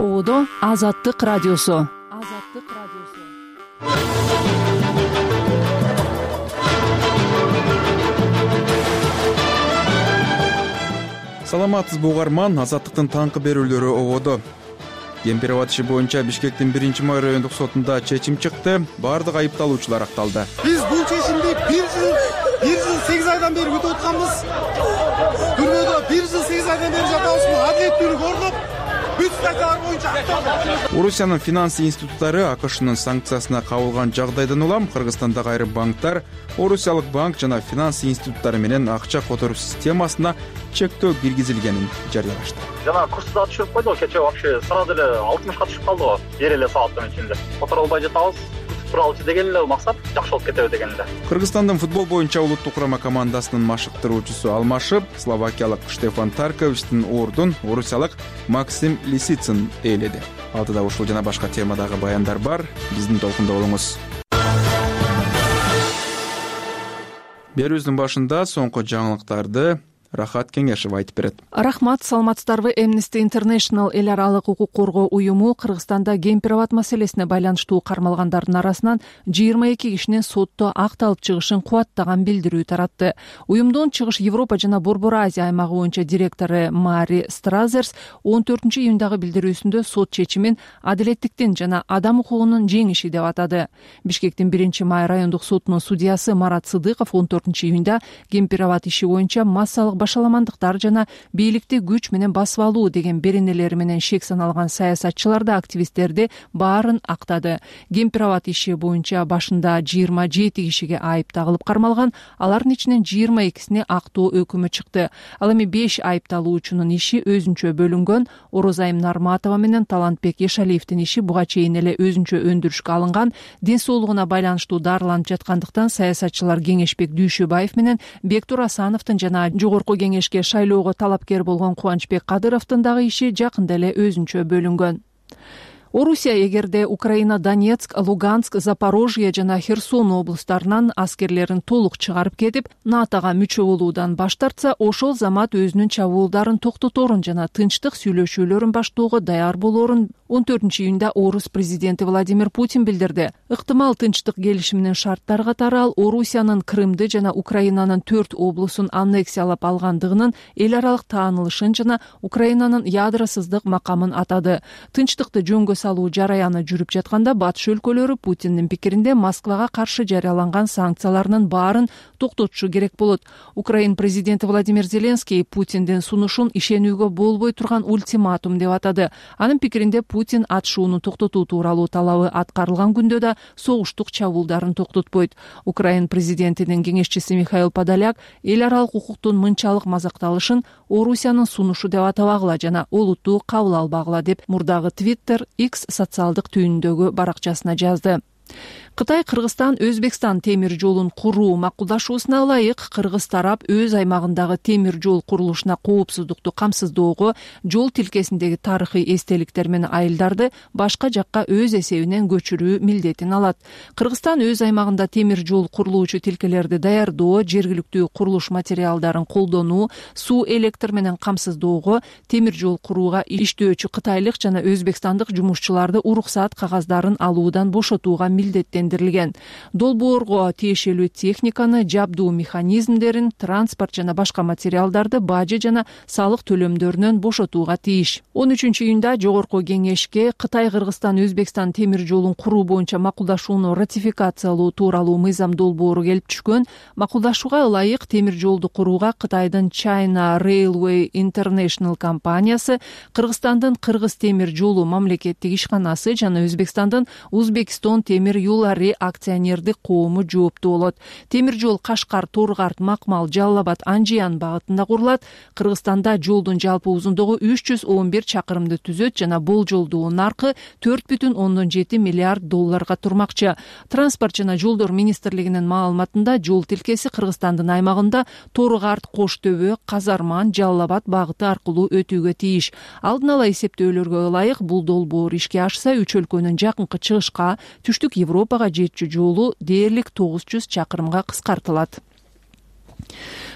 Ободо Азаттык радиосу. Саламатсызбы угарман, Азаттыктын таңкы берүүлөрү ободо. Кемпироват иши боюнча Бишкектин 1-май райондук сотунда чечим чыкты. Бардык айыпталуучулар акталды. Биз бул чечимди 1 жыл 8 айдан бери күтүп атканбыз. Түрмөдө 1 жыл 8 айдан бери жатабызбы? Адилеттүүлүк орноп, бүт статьялар боюнча акталды. Орусиянын финанс институттары АКШнын санкциясына кабылган жагдайдан улам Кыргызстандагы айрым банктар Орусиялык банк жана финанс институттары менен акча которуу системасына чектөө киргизилгенин жарыялашты. Жана курсу да түшүрүп койду. Кечээ вообще сразу эле 60ка түшүп калды го. Бир эле сааттын ичинде. Которо албай жатабыз. Туралчы деген эле максат жакшы болуп кетеби деген эле. Кыргызстандын футбол боюнча улуттук курама командасынын машыктыруучусу алмашып, словакиялык Штефан Тарковичтин ордун орусиялык Максим Лисицын ээледи. Алдыда ушул жана башка темадагы баяндар бар. Биздин толкунда болуңуз. Берүүбүздүн башында соңку жаңылыктарды Рахат Кеңешев айтып берет. Рахмат, саламатсыздарбы? Amnesty International эл аралык укук коргоо уюму Кыргызстанда гей-пероват маселесине байланыштуу кармалгандардын арасынан 22 кишинин сотто акталып чыгышын кубаттаган билдирүү таратты. Уюмдун Чыгыш Европа жана Борбор Азия аймагы боюнча директору Мари Стразерс 14-июндагы билдирүүсүндө сот чечимин адилеттиктин жана адам укугунун жеңиши деп атады. Бишкектин 1-май райондук сотунун судьясы Марат Сыдыков 14-июнда гей-пероват иши боюнча массалык башаламандыктар жана бийликти күч менен басып алуу деген беренелери менен шек саналган саясатчыларды, активисттерди баарын актады. Гей-пероват иши боюнча башында 27 кишиге айып тагылып кармалган, алардын ичинен 22сине актоо өкүмү чыкты. Ал эми 5 айыпталуучунун иши өзүнчө бөлүнгөн. Орозайым Нарматова менен Талантбек Ешалиевдин иши буга чейин эле өзүнчө өндүрүшкө алынган. Ден соолугуна байланыштуу дарыланып жаткандыктан саясатчылар Кеңешбек Дүйшөбаев менен Бектур Асановдун жана жогорку кеңешке шайлоого талапкер болгон Кубанычбек Кадыровдун дагы иши жакында эле өзүнчө бөлүнгөн. Орусия эгерде Украина Донецк, Луганск, Запорожье жана Херсон облустарынан аскерлерин толук чыгарып кетип, НАТОга мүчө болуудан баш тартса, ошол замат өзүнүн чабуулдарын токтоторун жана тынчтык сүйлөшүүлөрүн баштоого даяр болоорун 14-июнда Орус президенти Владимир Путин билдирди. Ыктымал тынчтык келишиминин шарттары катары ал Орусиянын Крымды жана Украинанын 4 облусун аннексиялап алгандыгынын эл аралык таанылышын жана Украинанын ядросуздук макамын атады. Тынчтыкты жөнгө салуу жараяны жүрүп жатканда батыш өлкөлөрү Путиндин пикиринде Москвага каршы жарыяланган санкцияларынын баарын токтотушу керек болот. Украин президенти Владимир Зеленский Путиндин сунушун ишенүүгө болбой турган ультиматум деп атады. Анын пикиринде Путин атышууну токтотуу тууралуу талабы аткарылган күндө да согуштук чабуулдарын токтотпойт. Украин президентинин кеңешчиси Михаил Подоляк эл аралык укуктун мынчалык мазакталышын Орусиянын сунушу деп атабагыла жана олуттуу кабыл албагыла деп мурдагы Twitter X социалдык түйүндөгү баракчасына жазды. Кытай Кыргызстан Өзбекстан темир жолун куруу макулдашуусуна ылайык кыргыз тарап өз аймагындагы темир жол курулушуна коопсуздукту камсыздоого жол тилкесиндеги тарыхый эстеликтер менен айылдарды башка жакка өз эсебинен көчүрүү милдетин алат. Кыргызстан өз аймагында темир жол курулуучу тилкелерди даярдоо, жергиликтүү курулуш материалдарын колдонуу, суу электр менен камсыздоого, темир жол курууга иштөөчү кытайлык жана өзбекстандык жумушчуларды уруксаат кагаздарын алуудан бошотууга милдеттендирилген. Долбоорго тиешелүү техниканы, жабдуу механизмдерин, транспорт жана башка материалдарды бажы жана салык төлөмдөрүнөн бошотууга тийиш. 13-июнда жогорку кеңешке Кытай Кыргызстан Өзбекстан темир жолун куруу боюнча макулдашууну ратификациялоо тууралуу мыйзам долбоору келип түшкөн. Макулдашууга ылайык темир жолду курууга Кытайдын China Railway International компаниясы, Кыргызстандын Кыргыз темир жолу мамлекеттик ишканасы жана Өзбекстандын Узбекистон темир юлары акционердик коому жооптуу болот. Темир жол Кашкар, Торгарт, Макмал, Жалал-Абад, Анжиян багытында курулат. Кыргызстанда жолдун жалпы узундугу 311 чакырымды түзөт жана болжолдуу наркы $4,7 миллиард турмакчы. Транспорт жана жолдор министрлигинин маалыматында жол тилкеси Кыргызстандын аймагында Торгарт, Коштөбө, Казарман, Жалал-Абад багыты аркылуу өтүүгө тийиш. Алдын ала эсептөөлөргө ылайык бул долбоор ишке ашса 3 өлкөнүн жакынкы чыгышка, түштүк Европага жетчү жолу дээрлик 900 чакырымга кыскартылат.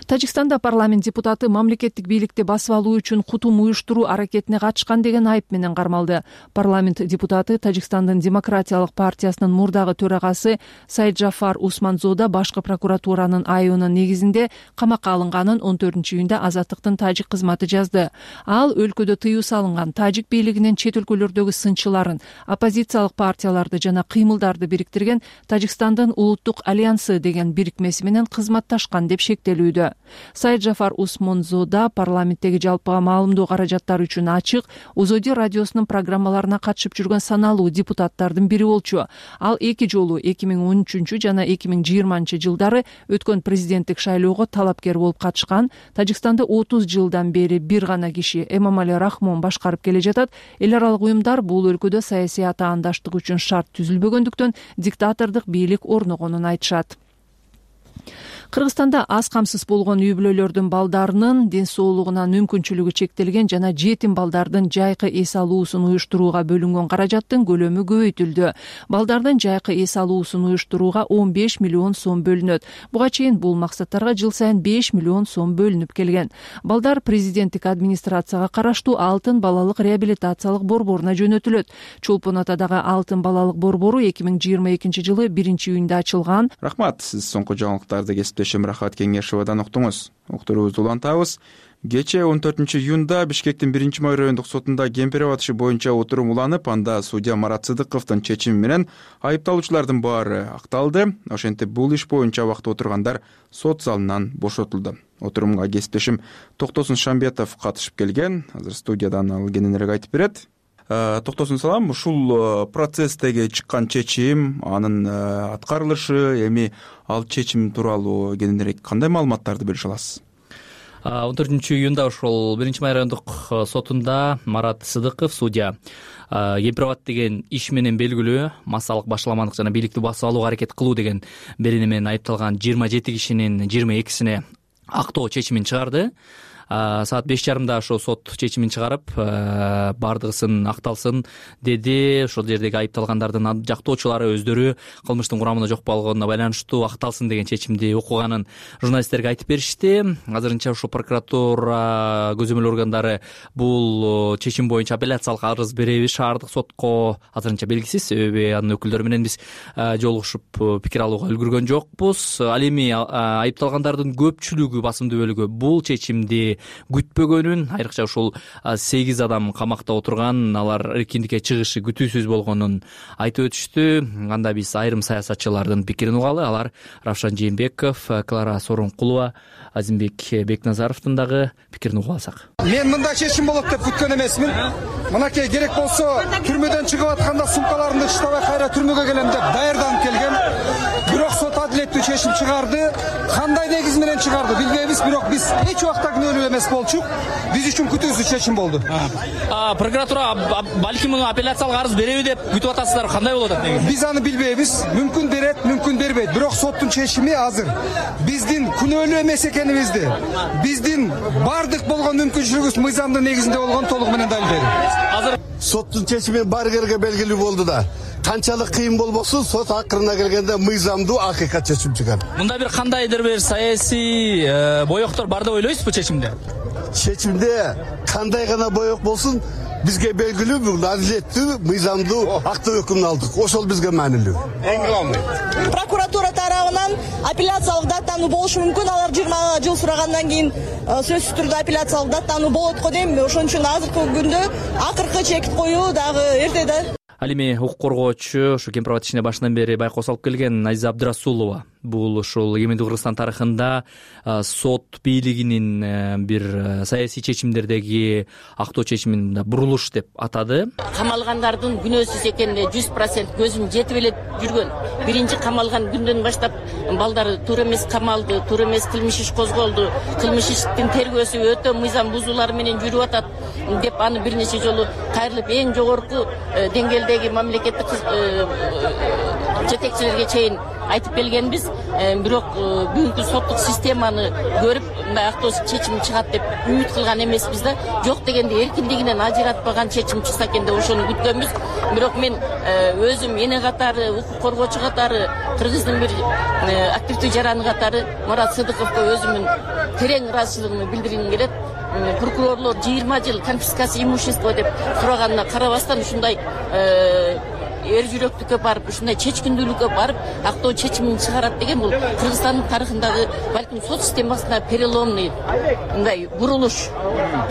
Тажикстанда парламент депутаты мамлекеттик бийликти басып алуу үчүн кутум уюштуруу аракетине катышкан деген айып менен кармалды. Парламент депутаты Тажикстандын Демократиялык партиясынын мурдагы төрагасы Сайджафар Усманзода башкы прокуратуранын айыбынын негизинде камакка алынганын 14-июнда Азаттыктын тажик кызматы жазды. Ал өлкөдө тыюу салынган тажик бийлигинин чет өлкөлөрдөгү сынчыларын, оппозициялык партияларды жана кыймылдарды бириктирген Тажикстандын улуттук альянсы деген бирикмеси менен кызматташкан деп шектелүүдө. Сайджафар Усманзода парламенттеги жалпыга маалымдоо каражаттары үчүн ачык Узоди радиосунун программаларына катышып жүргөн саналуу депутаттардын бири болчу. Ал 2 жолу 2013 жана 2020 жылдары өткөн президенттик шайлоого талапкер болуп катышкан. Тажикстанда 30 жылдан бери бир гана киши Эмомали Рахмон башкарып келе жатат. Эл аралык уюмдар бул өлкөдө саясий атаандаштык үчүн шарт түзүлбөгөндүктөн диктатордук бийлик орногонун айтышат. Кыргызстанда аз камсыз болгон үй-бүлөлөрдүн балдарынын ден соолугуна мүмкүнчүлүгү чектелген жана жетим балдардын жайкы эс алуусун уюштурууга бөлүнгөн каражаттын көлөмү көбөйтүлдү. Балдардын жайкы эс алуусун уюштурууга 15 миллион сом бөлүнөт. Буга чейин бул максаттарга жыл сайын 5 миллион сом бөлүнүп келген. Балдар президенттик администрацияга караштуу Алтын балалык реабилитациялык борборуна жөнөтүлөт. Чолпон Атадагы Алтын балалык борбору 2022 жылы 1-июнда ачылган. Рахмат, сиз соңку жаңылыктарды Рахат Кеңешевадан уктуңуз. Уктуруубузду улантабыз. Кечээ 14-июнда Бишкектин 1-май райондук сотунда кемпир атышы боюнча отурум уланып, анда судья Марат Сыдыковдун чечими менен айыпталуучулардын баары акталды. Ошентип бул иш боюнча убакта отургандар сот залынан бошотулду. Отурумга кесиптешим Токтосун Шамбетов катышып келген. Азыр студиядан ал кененирээк айтып берет. Токтосун салам, ушул процесстеги чыккан чечим, анын аткарылышы, эми ал чечим тууралуу кененирээк кандай маалыматтарды бөлүшө аласыз? 14-июнда ошол 1-май райондук сотунда Марат Сыдыков судья кемпирабад деген иш менен белгилүү массалык башаламандык жана бийликти басып алууга аракет кылуу деген берене менен айыпталган 27 кишинин 22сине актоо чечимин чыгарды. Саат 5:30 ошо сот чечимин чыгарып, бардыгысын акталсын деди. Ошол жердеги айыпталгандардын жактоочулары өздөрү кылмыштын курамында жок болгонуна байланыштуу акталсын деген чечимди окуганын журналисттерге айтып беришти. Азырынча ошо прокуратура көзөмөл органдары бул чечим боюнча апелляциялык арыз береби шаардык сотко азырынча белгисиз. Себеби анын өкүлдөрү менен биз жолугушуп пикир алууга үлгүргөн жокпуз. Ал эми айыпталгандардын көпчүлүгү, басымдуу бөлүгү бул чечимди күтпөгөнүн, айрыкча ушул 8 адам камакта отурган, алар эркиндикке чыгышы күтүүсүз болгонун айтып өтүштү. Анда биз айрым саясатчылардын пикирин угалы. Алар Равшан Жээнбеков, Клара Сооронкулова, Азимбек Бекназаровдун дагы пикирин угуп алсак. Мен мындай чечим болот деп күткөн эмесмин. Мынакей керек болсо түрмөдөн чыгып атканда сумкаларымды таштабай кайра түрмөгө келем деп даярданып келген. Бирок сот адилеттүү чечим чыгарды. Кандай негиз менен чыгарды билбейбиз, бирок биз эч убакта күнөөлүү эмес болчук. Биз үчүн күтүүсүз чечим болду. Прокуратура балким муну апелляциялык арыз береби деп күтүп атасыздар, кандай болот негизи? Биз аны билбейбиз. Мүмкүн берет, мүмкүн бербейт. Бирок соттун чечими азыр биздин күнөөлүү эмес экенибизди, биздин бардык болгон мүмкүнчүлүгүбүз мыйзамдын негизинде болгон толук менен далилдеди. Азыр соттун чечими баарыгерге белгилүү болду да. Канчалык кыйын болбосун, сот акырына келгенде мыйзамдуу акыйкат чечим чыгат. Мында бир кандайдыр бир саясий боёктор бар деп ойлойсузбу чечимде? Чечимде кандай гана боек болсун, бизге белгилүү бул адилеттүү, мыйзамдуу актоо өкүмүн алдык. Ошол бизге маанилүү. Эң главный. Прокуратура тарабынан апелляциялык даттануу болушу мүмкүн. Алар 20 жыл сурагандан кийин сөзсүз түрдө апелляциялык даттануу болот го дейм. Ошон үчүн азыркы күндө акыркы чекит коюу дагы эрте да. Ал эми укук коргоочу, ушу кемпирабад ишине башынан бери байкоо салып келген Азиза Абдырасулова, бул ушул эгемендүү Кыргызстан тарыхында сот бийлигинин бир саясий чечимдердеги актоо чечимин бурулуш деп атады. Камалгандардын күнөөсүз экенине 100% көзүм жетип эле жүргөн. Биринчи камалган күндөн баштап балдар туура эмес камалды, туура эмес кылмыш иш козголду, кылмыш иштин тергөөсү өтө мыйзам бузуулары менен жүрүп атат деп аны бир нече жолу кайрылып эң жогорку деңгээлдеги мамлекеттик жетекчилерге чейин айтып келгенбиз. Бирок бүгүнкү соттук системаны көрүп мындай актоо чечим чыгат деп үмүт кылган эмеспиз да. Жок дегенде эркиндигинен ажыратпаган чечим чыкса экен деп ошону күткөнбүз. Бирок мен өзүм эне катары, укук коргоочу катары, Кыргыздын бир активдүү жараны катары Мурат Сыдыковго өзүмдүн терең ыраазычылыгымды билдиргим келет. Прокурорлор 20 жыл конфискация имущества деп сураганына карабастан ушундай эр жүрөктүккө барып, ушундай чечкиндүүлүккө барып, актоо чечимин чыгарат деген бул Кыргызстандын тарыхындагы балким сот системасына переломный мындай бурулуш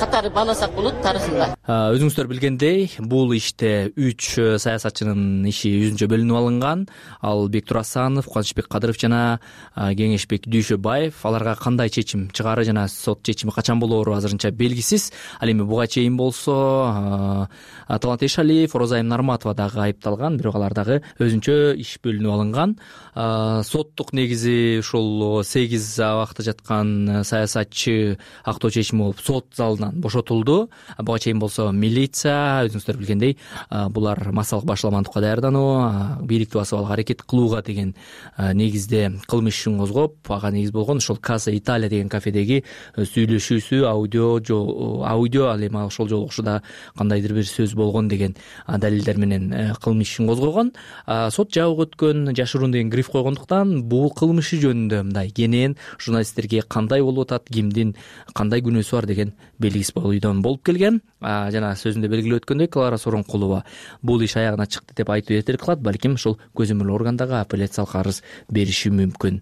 катары бааласак болот тарыхында. Өзүңүздөр билгендей, бул иште 3 саясатчынын иши өзүнчө бөлүнүп алынган. Ал Бектур Асанов, Кубанычбек Кадыров жана Кеңешбек Дүйшөбаев. Аларга кандай чечим чыгары жана сот чечими качан болоору азырынча белгисиз. Ал эми буга чейин болсо Талант Эшалиев, Розайым Нарматова дагы айыпталган, бирок алар дагы өзүнчө иш бөлүнүп алынган. Соттук негизи ушул 8 абакта жаткан саясатчы актоо чечими болуп сот залынан бошотулду. Буга чейин болсо милиция, өзүңүздөр билгендей, булар массалык башаламандыкка даярдануу, бийликти басып алууга аракет кылууга деген негизде кылмыш ишин козгоп, ага негиз болгон ушул Casa Italia деген кафедеги сүйлөшүүсү, аудио ал эми ошол жолугушууда кандайдыр бир сөз болгон деген далилдер менен кылмыш ишин козгогон. Сот жабык өткөн, жашыруун деген гриф койгондуктан бул кылмыш жөнүндө мындай кенен журналисттерге кандай болуп атат, кимдин кандай күнөөсү бар деген белгисиз бойдон болуп келген. Жана сөзүндө белгилеп өткөндөй, Клара Сооронкулова бул иш аягына чыкты деп айтуу эртерээк кылат, балким ушул көзөмөл органдагы апелляциялык арыз бериши мүмкүн.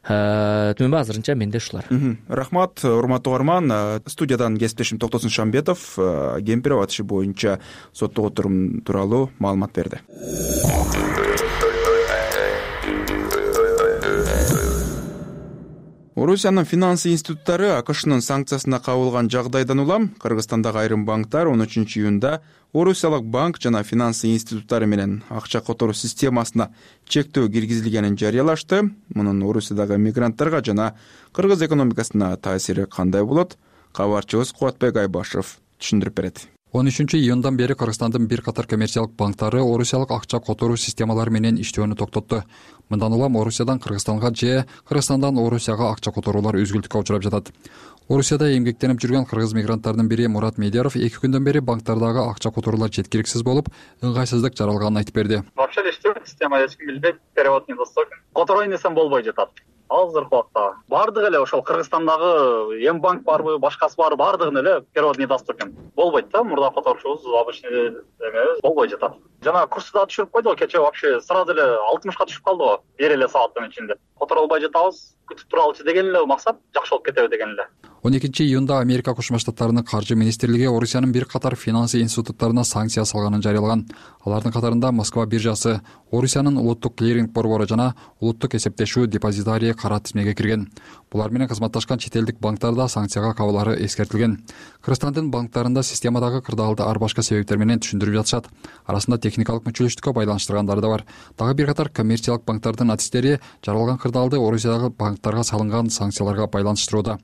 Түмөнбү азырынча менде ушулар. Рахмат, урматтуу угарман. Студиядан кесиптешим Токтосун Шамбетов Кемпирабад иши боюнча соттук отурум тууралуу маалымат берди. Орусиянын финансы институттары АКШнын санкциясына кабылган жагдайдан улам Кыргызстандагы айрым банктар 13 июнда Орусиялык банк жана финансы институттары менен акча которуу системасына чектөө киргизилгенин жарыялашты. Мунун Орусиядагы мигранттарга жана кыргыз экономикасына таасири кандай болот? Кабарчыбыз Кубатбек Айбашев түшүндүрүп берет. 13 июндан бери Кыргызстандын бир катар коммерциялык банктары орусиялык акча которуу системалары менен иштөөнү токтотту. Мындан улам Орусиядан Кыргызстанга же Кыргызстандан Орусияга акча которуулар үзгүлтүккө учурап жатат. Орусияда эмгектенип жүргөн кыргыз мигранттардын бири Мурат Медяров 2 күндөн бери банктардагы акча которуулар жеткиликсиз болуп, ыңгайсыздык жаралганын айтып берди. Вообще система эч ким билбейт, перевод недоступен. Которой несем болбой жатат. Азыркы убакта бардыгы эле ошол Кыргызстандагы эм банк барбы, башкасы барбы, бардыгын эле перевод недоступен. Болбойт да, мурда которушубуз обычный эмебиз болбой жатат. Жана курсу да түшүрүп койду, кечээ вообще сразу эле 60ка түшүп калды го, бир эле сааттын ичинде. Которо албай жатабыз, күтүп туралычы деген эле максат, жакшы болуп кетеби деген эле. 12 июнда Америка Кошмо Штаттарынын каржы министрлиги Орусиянын бир катар финансы институттарына санкция салганын жарыялаган. Алардын катарында Москва биржасы, Орусиянын улуттук клиринг борбору жана улуттук эсептешүү депозитарий кара тизмеге кирген. Булар менен кызматташкан чет элдик банктарда санкцияга кабылары эскертилген. Кыргызстандын банктарында системадагы кырдаалды ар башка себептер менен түшүндүрүп жатышат. Арасында техникалык мүчөлүштүккө байланыштыргандары да бар. Дагы бир катар коммерциялык банктардын артисттери жаралган кырдаалды Орусиядагы банктарга салынган санкцияларга байланыштырууда.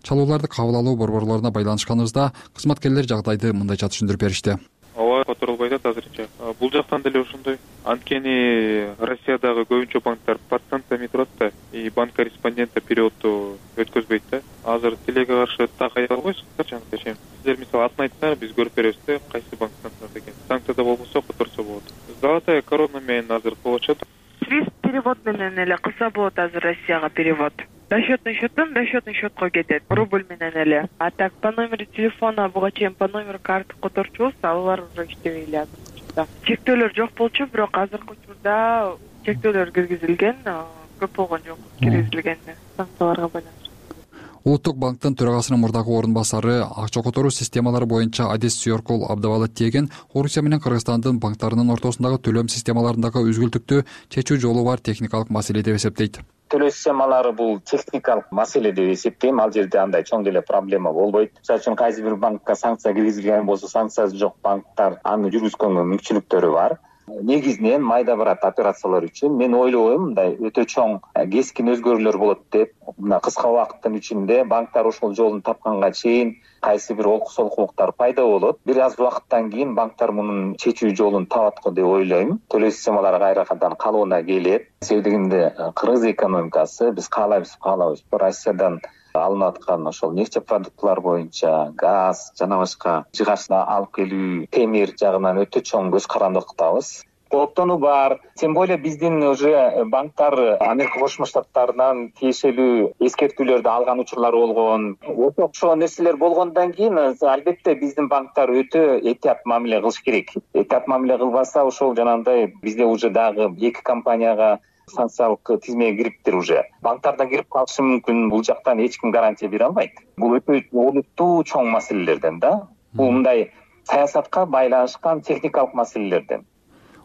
Чалууларды кабыл алуу борборлоруна байланышканыбызда кызматкерлер жагдайды мындайча түшүндүрүп беришти. Ооба, которулбай жатат азырынча. Бул жактан деле ошондой. Анткени Россиядагы көбүнчө банктар под санкциями турат да, и банк корреспондента переводду өткөзбөйт да. Азыр тилеге каршы так айта албайсыз, чечем. Сиздер мисалы атын айтсаңар, биз көрүп беребиз да, кайсы банктан турат экен. Санкцияда болбосо которсо болот. Золотая корона менен азыр кылып атышат. Свифт перевод менен эле кылса болот азыр Россияга перевод. Расчетный счетко кетет, рубль менен эле. А так по номеру телефона, буга чейин по номеру карты которчубуз, алар уже иштебей эле азыр. Чектөөлөр жок болчу, бирок азыркы учурда чектөөлөр киргизилген, көп болгон жок, киргизилген санкцияларга байланыштуу. Улуттук банктын төрагасынын мурдагы орун басары, акча которуу системалары боюнча Адес Сүйөркул Абдыбалат Теген Орусия менен Кыргызстандын банктарынын ортосундагы төлөм системаларындагы үзгүлтүктү чечүү жолу бар техникалык маселе деп эсептейт. Төлөө системалары бул техникалык маселе деп эсептейм. Ал жерде андай чоң деле проблема болбойт. Мисалы үчүн кайсы бир банкка санкция киргизилген болсо, санкциясы жок банктар аны жүргүзгөнгө мүмкүнчүлүктөрү бар. Негизинен майда барат операциялар үчүн мен ойлойм, мындай өтө чоң кескин өзгөрүүлөр болот деп. Мына кыска убакыттын ичинде банктар ошол жолун тапканга чейин кайсы бир олкуктар пайда болот. Бир аз убакыттан кийин банктар мунун чечүү жолун табат го деп ойлойм. Төлөө системалары кайрадан калыбына келет. Себебинде кыргыз экономикасы биз каалайбызбы, Россиядан алынып аткан ошол нефть продуктылар боюнча газ жана башка жыгачты алып келүү темир жагынан өтө чоң көз карандыкдабыз. Кооптонуу бар. Тем более биздин уже банктар Америка Кошмо Штаттарынан тиешелүү эскертүүлөрдү алган учурлар болгон. Ошол нерселер болгондон кийин албетте биздин банктар өтө этият мамиле кылыш керек. Этият мамиле кылбаса ошол жанагындай бизде уже дагы 2 компанияга санкциялык тизмеге кириптир уже. Банктардан кирип калышы мүмкүн. Бул жактан эч ким гарантия бере албайт. Бул өтө олуттуу чоң маселелерден да. Бул мындай саясатка байланышкан техникалык маселелерден.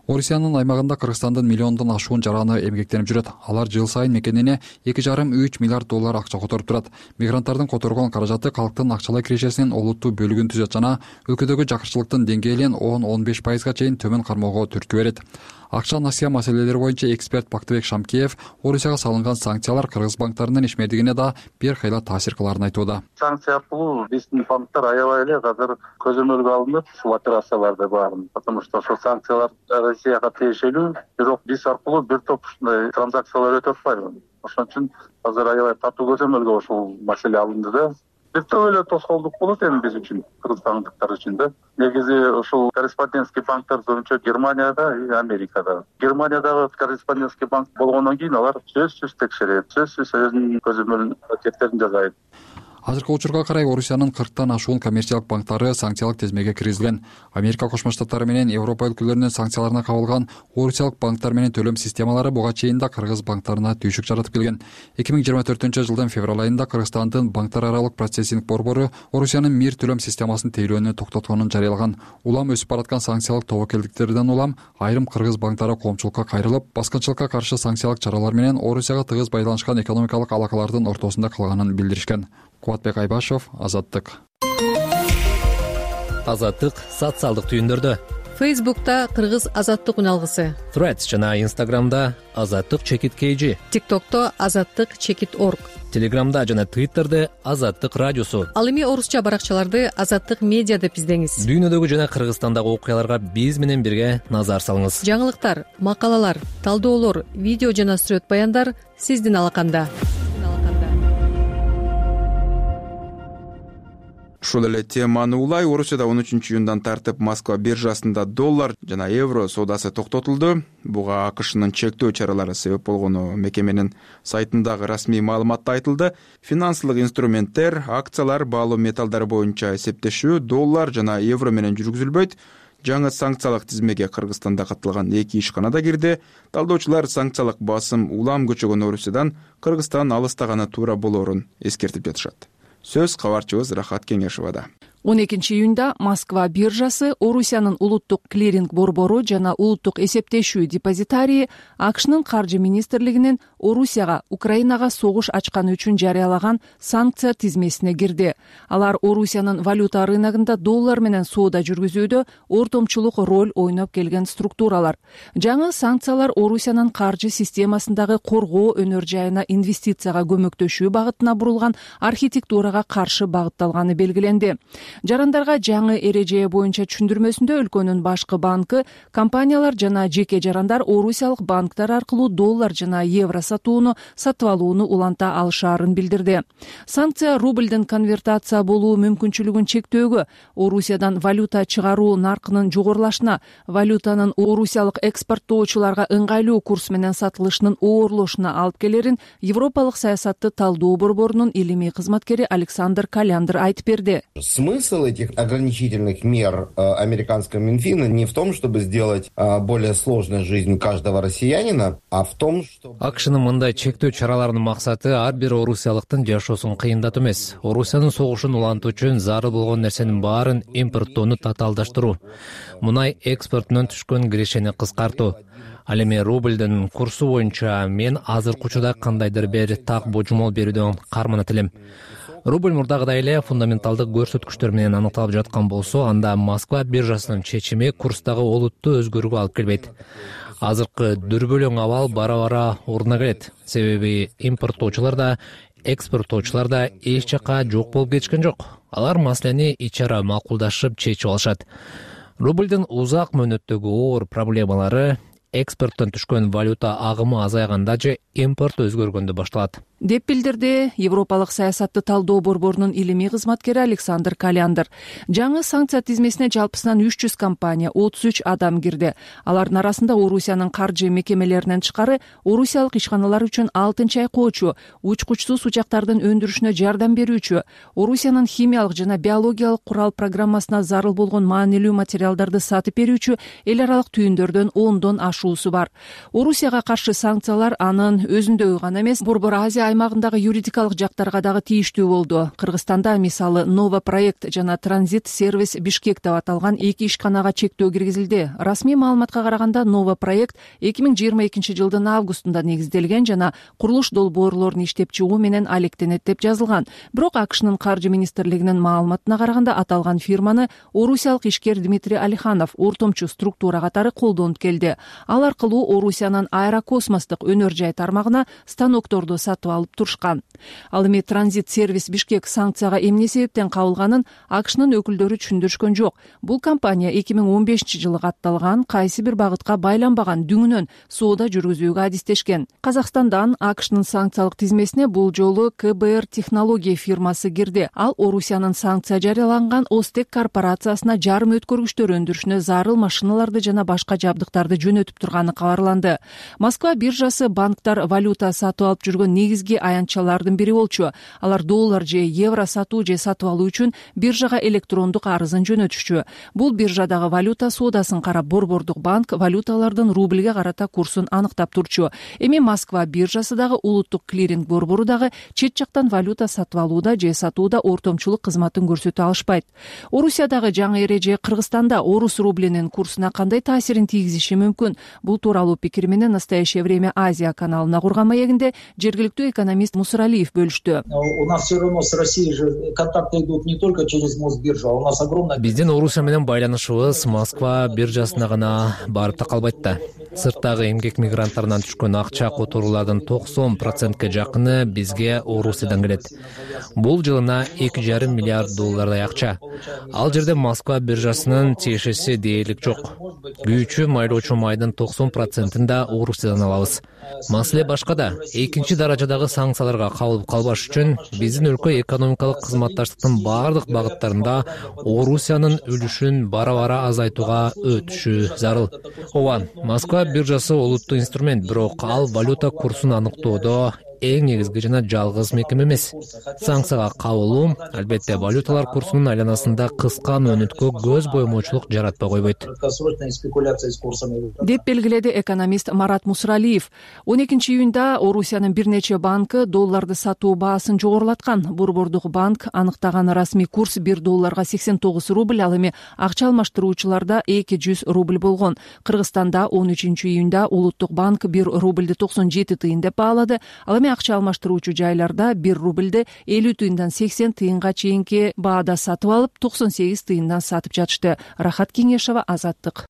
Орусиянын аймагында Кыргызстандын миллиондон ашуун жараны эмгектенип жүрөт. Алар жыл сайын мекенине 2,5-3 миллиард доллар акча которуп турат. Мигранттардын которгон каражаты калктын акчалай кирешесинин олуттуу бөлүгүн түзөт жана өлкөдөгү жакырчылыктын деңгээлин 10-15% чейин төмөн кармоого түрткү берет. Акча насыя маселелери боюнча эксперт Бактыбек Шамкеев Орусияга салынган санкциялар кыргыз банктарынын ишмердигине да бир кайла таасир кыларын айтууда. Санкция аркылуу биздин банктар аябай эле азыр көзөмөлгө алынып ушул операцияларды баарын, потому что ошол санкциялар Россияга тиешелүү, бирок биз аркылуу бир топ ушундай транзакциялар өтүп атпайбы. Ошон үчүн азыр аябай катуу көзөмөлгө ушул маселе алынды да. Бир топ эле тоскоолдук болот эми биз үчүн, кыргызстандыктар үчүн да. Негизи ушул корреспондентский банктар боюнча Германияда и Америкада. Германиядагы корреспондентский банк болгондон кийин алар сөзсүз текшерет, сөзсүз өзүнүн көзөмөл аракеттерин жасайт. Азыркы учурга карай Орусиянын 40тан ашуун коммерциялык банктары санкциялык тизмеге киргизилген. Америка Кошмо Штаттары менен Европа өлкөлөрүнүн санкцияларына кабылган Орусиялык банктар менен төлөм системалары буга чейин да кыргыз банктарына түйшүк жаратып келген. 2024-жылдын февраль айында Кыргызстандын банктар аралык процессинг борбору Орусиянын МИР төлөм системасын тейлөөнү токтотконун жарыялаган. Улам өсүп бараткан санкциялык тобокелдиктерден улам айрым кыргыз банктары коомчулукка кайрылып, баскынчылыкка каршы санкциялык чаралар менен Орусияга тыгыз байланышкан экономикалык алакалардын ортосунда калганын билдиришкен. Кубатбек Айбашев, Азаттык. Азаттык социалдык түйүндөрдө. Фейсбукта Кыргыз Азаттык үналгысы. Threads жана Instagramда Азаттык_KG. TikTokто Азаттык_org. Телеграмда жана Twitterде Азаттык радиосу. Ал эми орусча баракчаларды Азаттык медиа деп издеңиз. Дүйнөдөгү жана Кыргызстандагы окуяларга биз менен бирге назар салыңыз. Жаңылыктар, макалалар, талдоолор, видео жана сүрөт баяндар сиздин алаканда. Ушул эле теманы улай Орусияда 13-июндан тартып Москва биржасында доллар жана евро соодасы токтотулду. Буга АКШнын чектөө чаралары себеп болгону мекеменин сайтындагы расмий маалыматта айтылды. Финансылык инструменттер, акциялар, баалуу металлдар боюнча эсептешүү доллар жана евро менен жүргүзүлбөйт. Жаңы санкциялык тизмеге Кыргызстанда катталган 2 ишкана да кирди. Талдоочулар санкциялык басым улам көчөгөн Орусиядан Кыргызстан алыстаганы туура болоорун эскертип жатышат. Сөз кабарчыбыз Рахат Кеңешовада. 12-июнда Москва биржасы Орусиянын улуттук клиринг борбору жана улуттук эсептешүү депозитарии АКШнын каржы министрлигинин Орусияга, Украинага согуш ачканы үчүн жарыялаган санкция тизмесине кирди. Алар Орусиянын валюта рыногунда доллар менен соода жүргүзүүдө ортомчулук роль ойноп келген структуралар. Жаңы санкциялар Орусиянын каржы системасындагы коргоо өнөр жайына инвестицияга көмөктөшүү багытына бурулган архитектурага каршы багытталганы белгиленди. Жарандарга жаңы эреже боюнча түшүндүрмөсүндө өлкөнүн башкы банкы компаниялар жана жеке жарандар орусиялык банктар аркылуу доллар жана евро сатууну, сатып алууну уланта алышаарын билдирди. Санкция рубльдин конвертация болуу мүмкүнчүлүгүн чектөөгө, Орусиядан валюта чыгаруу наркынын жогорулашына, валютанын орусиялык экспорттоочуларга ыңгайлуу курс менен сатылышынын оорлошуна алып келерин Европалык саясатты талдоо борборунун илимий кызматкери Александр Каляндр айтып берди. Смысл этих ограничительных мер американского Минфина не в том, чтобы сделать более сложной жизнь каждого россиянина, а в том, что... АКШнын мындай чектөө чараларынын максаты ар бир орусиялыктын жашоосун кыйындатуу эмес. Орусиянын согушун улантуу үчүн зарыл болгон нерсенин баарын импорттоону татаалдаштыруу. Мунай экспортунан түшкөн кирешени кыскартуу. Ал эми рубльдин курсу боюнча мен азыркы учурда кандайдыр бир так божомол берүүдөн карманат элем. Рубль мурдагыдай эле фундаменталдык көрсөткүчтөр менен аныкталып жаткан болсо, анда Москва биржасынын чечими курстагы олуттуу өзгөрүүгө алып келбейт. Азыркы дүрбөлөң абал бара-бара ордуна келет. Себеби импорттоочулар да, экспорттоочулар да эч жака жок болуп кетишкен жок. Алар маселени ич ара макулдашып чечип алышат. Рубльдин узак мөөнөттөгү оор проблемалары экспорттон түшкөн валюта агымы азайганда же импорт өзгөргөндө башталат, деп билдирди Европалык саясатты талдоо борборунун илимий кызматкери Александр Каляндр. Жаңы санкция тизмесине жалпысынан 300 компания, 33 адам кирди. Алардын арасында Орусиянын каржы мекемелеринен тышкары орусиялык ишканалар үчүн алтын чайкоочу, учкучсуз учактардын өндүрүшүнө жардам берүүчү, Орусиянын химиялык жана биологиялык курал программасына зарыл болгон маанилүү материалдарды сатып берүүчү эл аралык түйүндөрдөн 10дон ашуусу бар. Орусияга каршы санкциялар анын өзүндөгү гана эмес, Борбор Азия аймагындагы юридикалык жактарга дагы тийиштүү болду. Кыргызстанда мисалы Нова проект жана Транзит сервис Бишкек деп аталган 2 ишканага чектөө киргизилди. Расмий маалыматка караганда Нова проект 2022 жылдын августунда негизделген жана курулуш долбоорлорун иштеп чыгуу менен алектенет деп жазылган. Бирок АКШнын каржы министрлигинин маалыматына караганда аталган фирманы орусиялык ишкер Дмитрий Алиханов ортомчу структура катары колдонуп келди. Ал аркылуу Орусиянын аэрокосмостук өнөр жай тармагына станокторду сатып алып турушкан. Ал эми Транзит сервис Бишкек санкцияга эмне себептен кабылганын АКШнын өкүлдөрү түшүндүрүшкөн жок. Бул компания 2015 жылы катталган кайсы бир багытка байланбаган дүңүнөн соода жүргүзүүгө адистешкен. Казакстандан АКШнын санкциялык тизмесине бул жолу КБР технология фирмасы кирди. Ал Орусиянын санкция жарыяланган Остек корпорациясына жарым өткөргүчтөр өндүрүшүнө зарыл машиналарды жана башка жабдыктарды жөнөтүп турганы кабарланды. Москва биржасы банктар валюта сатып алып жүргөн негизги аянтчалардын бири болчу. Алар доллар же евро сатуу же сатып алуу үчүн биржага электрондук арызын жөнөтүшчү. Бул биржадагы валюта соодасын карап, Борбордук банк валюталардын рубльге карата курсун аныктап турчу. Эми Москва биржасы дагы улуттук клиринг борбору дагы чет жактан валюта сатып алууда же сатууда ортомчулук кызматын көрсөтө алышпайт. Орусиядагы жаңы эреже Кыргызстанда орус рублинин курсуна кандай таасирин тийгизиши мүмкүн? Бул тууралуу пикир менен Настоящее время Азия каналына курган маегинде жергиликтүү экономист Мусуралиев бөлүштү. У нас все равно с Россией же контакты идут не только через Мосбиржу, а у нас огромная... Биздин Орусия менен байланышыбыз Москва биржасына гана барып такалбайт да. Сырттагы эмгек мигранттарынан түшкөн акча которуулардын 90%ке жакыны бизге Орусиядан келет. Бул жылына 2,5 миллиард доллардай акча. Ал жерде Москва биржасынын тиешеси дээрлик жок. Күйүүчү майлоочу майдын 90%ын да Орусиядан алабыз. Маселе башкада. Экинчи даражадагы санкцияларга кабылып калбаш үчүн биздин өлкө экономикалык кызматташтыктын бардык багыттарында Орусиянын үлүшүн бара-бара азайтууга өтүшү зарыл. Ооба, Москва биржасы улуттук инструмент, бирок ал валюта курсун аныктоодо эң негизги жана жалгыз мекеме эмес. Санкцияга кабылуу албетте валюталар курсунун айланасында кыска мөөнөткө көз боймоочулук жаратпай койбойт, деп белгиледи экономист Марат Мусуралиев. 12 июнда Орусиянын бир нече банкы долларды сатуу баасын жогорулаткан. Борбордук банк аныктаган расмий курс 1 долларга 89 рубль, ал эми акча алмаштыруучуларда 200 рубль болгон. Кыргызстанда 13 июнда Улуттук банк 1 рубльди 97 тыйын деп баалады. Ал эми акча алмаштыруучу жайларда 1 рубльди 50 тыйындан 80 тыйынга чейинки баада сатып алып, 98 тыйындан сатып жатышты. Рахат Кеңешова, Азаттык.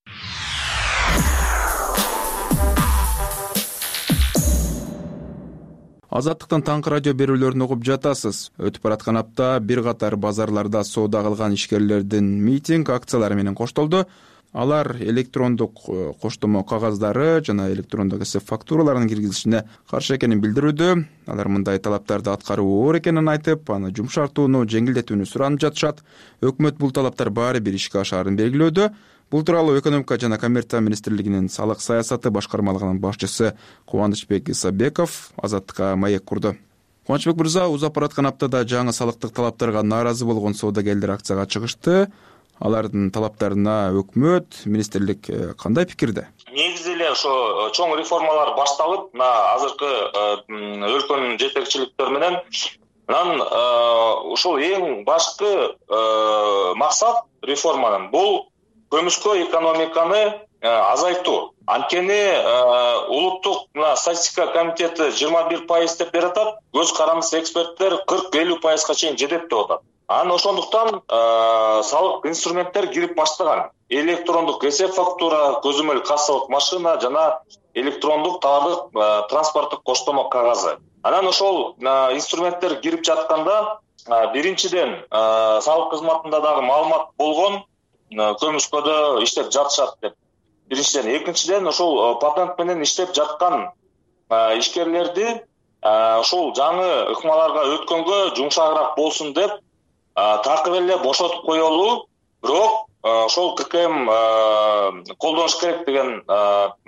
Азаттыктан таңкы радио берүүлөрүн угуп жатасыз. Өтүп бараткан апта бир катар базарларда соода кылган ишкерлердин митинг акциялары менен коштолду. Алар электрондук коштомо кагаздары жана электрондук эсеп фактураларынын киргизилишине каршы экенин билдирүүдө. Алар мындай талаптарды аткаруу оор экенин айтып, аны жумшартууну, жеңилдетүүнү суранып жатышат. Өкмөт бул талаптар баары бир ишке ашаарын белгилөөдө. Бул тууралуу экономика жана коммерция министрлигинин салык саясаты башкармалыгынын башчысы Кубанычбек Исабеков Азаттыкка маек курду. Кубанычбек мырза, узап бараткан аптада жаңы салыктык талаптарга нааразы болгон соодагерлер акцияга чыгышты. Алардын талаптарына өкмөт, министрлик кандай пикирде? Негизи эле ошо чоң реформалар башталып, мына азыркы өлкөнүн жетекчиликтери менен анан ошол эң башкы максат реформанын бул көмүшкө экономиканы азайтуу. Анткени улуттук статистика комитети 21% деп берип атат, көз карандысы эксперттер 40-50% чейин жетет деп атат. Анан ошондуктан салык инструменттер кирип баштаган. Электрондук эсеп фактура, көзөмөл кассалык машина жана электрондук товардык транспорттук коштомо кагазы. Анан ошол инструменттер кирип жатканда биринчиден салык кызматында дагы маалымат болгон көмүшкөдө иштеп жатышат деп биринчиден. Экинчиден, ошол патент менен иштеп жаткан ишкерлерди ошол жаңы ыкмаларга өткөнгө жумшагыраак болсун деп такыр эле бошотуп коелу, бирок ошол ККМ колдонуш керек деген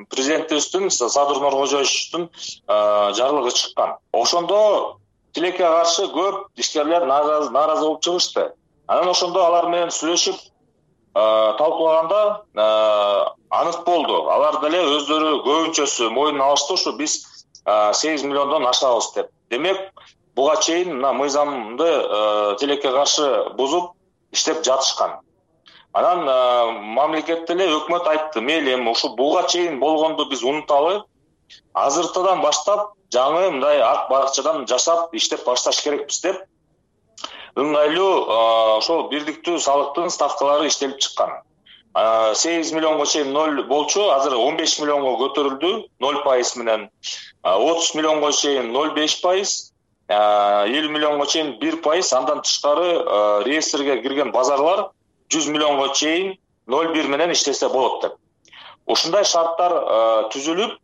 президентибиздин Садыр Нуркожоевичтин жарлыгы чыккан. Ошондо тилекке каршы көп ишкерлер нааразы болуп чыгышты. Анан ошондо алар менен сүйлөшүп талкуулаганда анык болду. Алар деле өздөрү көбүнчөсү мойнуна алышты, ушу биз 8 миллиондон ашабыз деп. Демек, буга чейин мына мыйзамды тилекке каршы бузуп иштеп жатышкан. Анан мамлекет деле, өкмөт айтты, мейли эми ушу буга чейин болгонду биз унуталы, азыртадан баштап жаңы мындай ак баракчадан жашап иштеп башташ керекпиз деп ыңгайлуу ошол бирдиктүү салыктын ставкалары иштелип чыккан. 8 миллионго чейин 0 болчу, азыр 15 миллионго көтөрүлдү 0% менен. 30 миллионго чейин 0,5%, 50 миллионго чейин 1%, андан тышкары реестрге кирген базарлар 100 миллионго чейин 0,1 менен иштесе болот деп. Ушундай шарттар түзүлүп,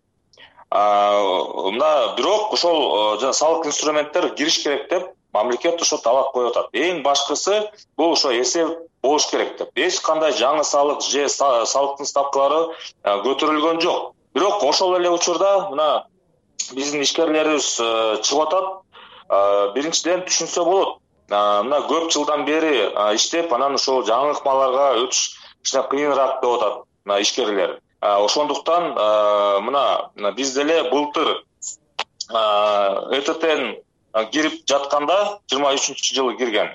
мына бирок ошол салык инструменттер кириш керек деп мамлекет ошо талап коюп атат. Эң башкысы бул ошо эсеп болуш керек деп. Эч кандай жаңы салык же салыктын ставкалары көтөрүлгөн жок. Бирок ошол эле учурда мына биздин ишкерлерибиз чыгып атат. Биринчиден түшүнсө болот. Мына көп жылдан бери иштеп, анан ошол жаңы ыкмаларга өтүш кичине кыйыныраак деп атат мына ишкерлер. Ошондуктан мына биз деле былтыр ЭТТн кирип жатканда 23-жылы кирген.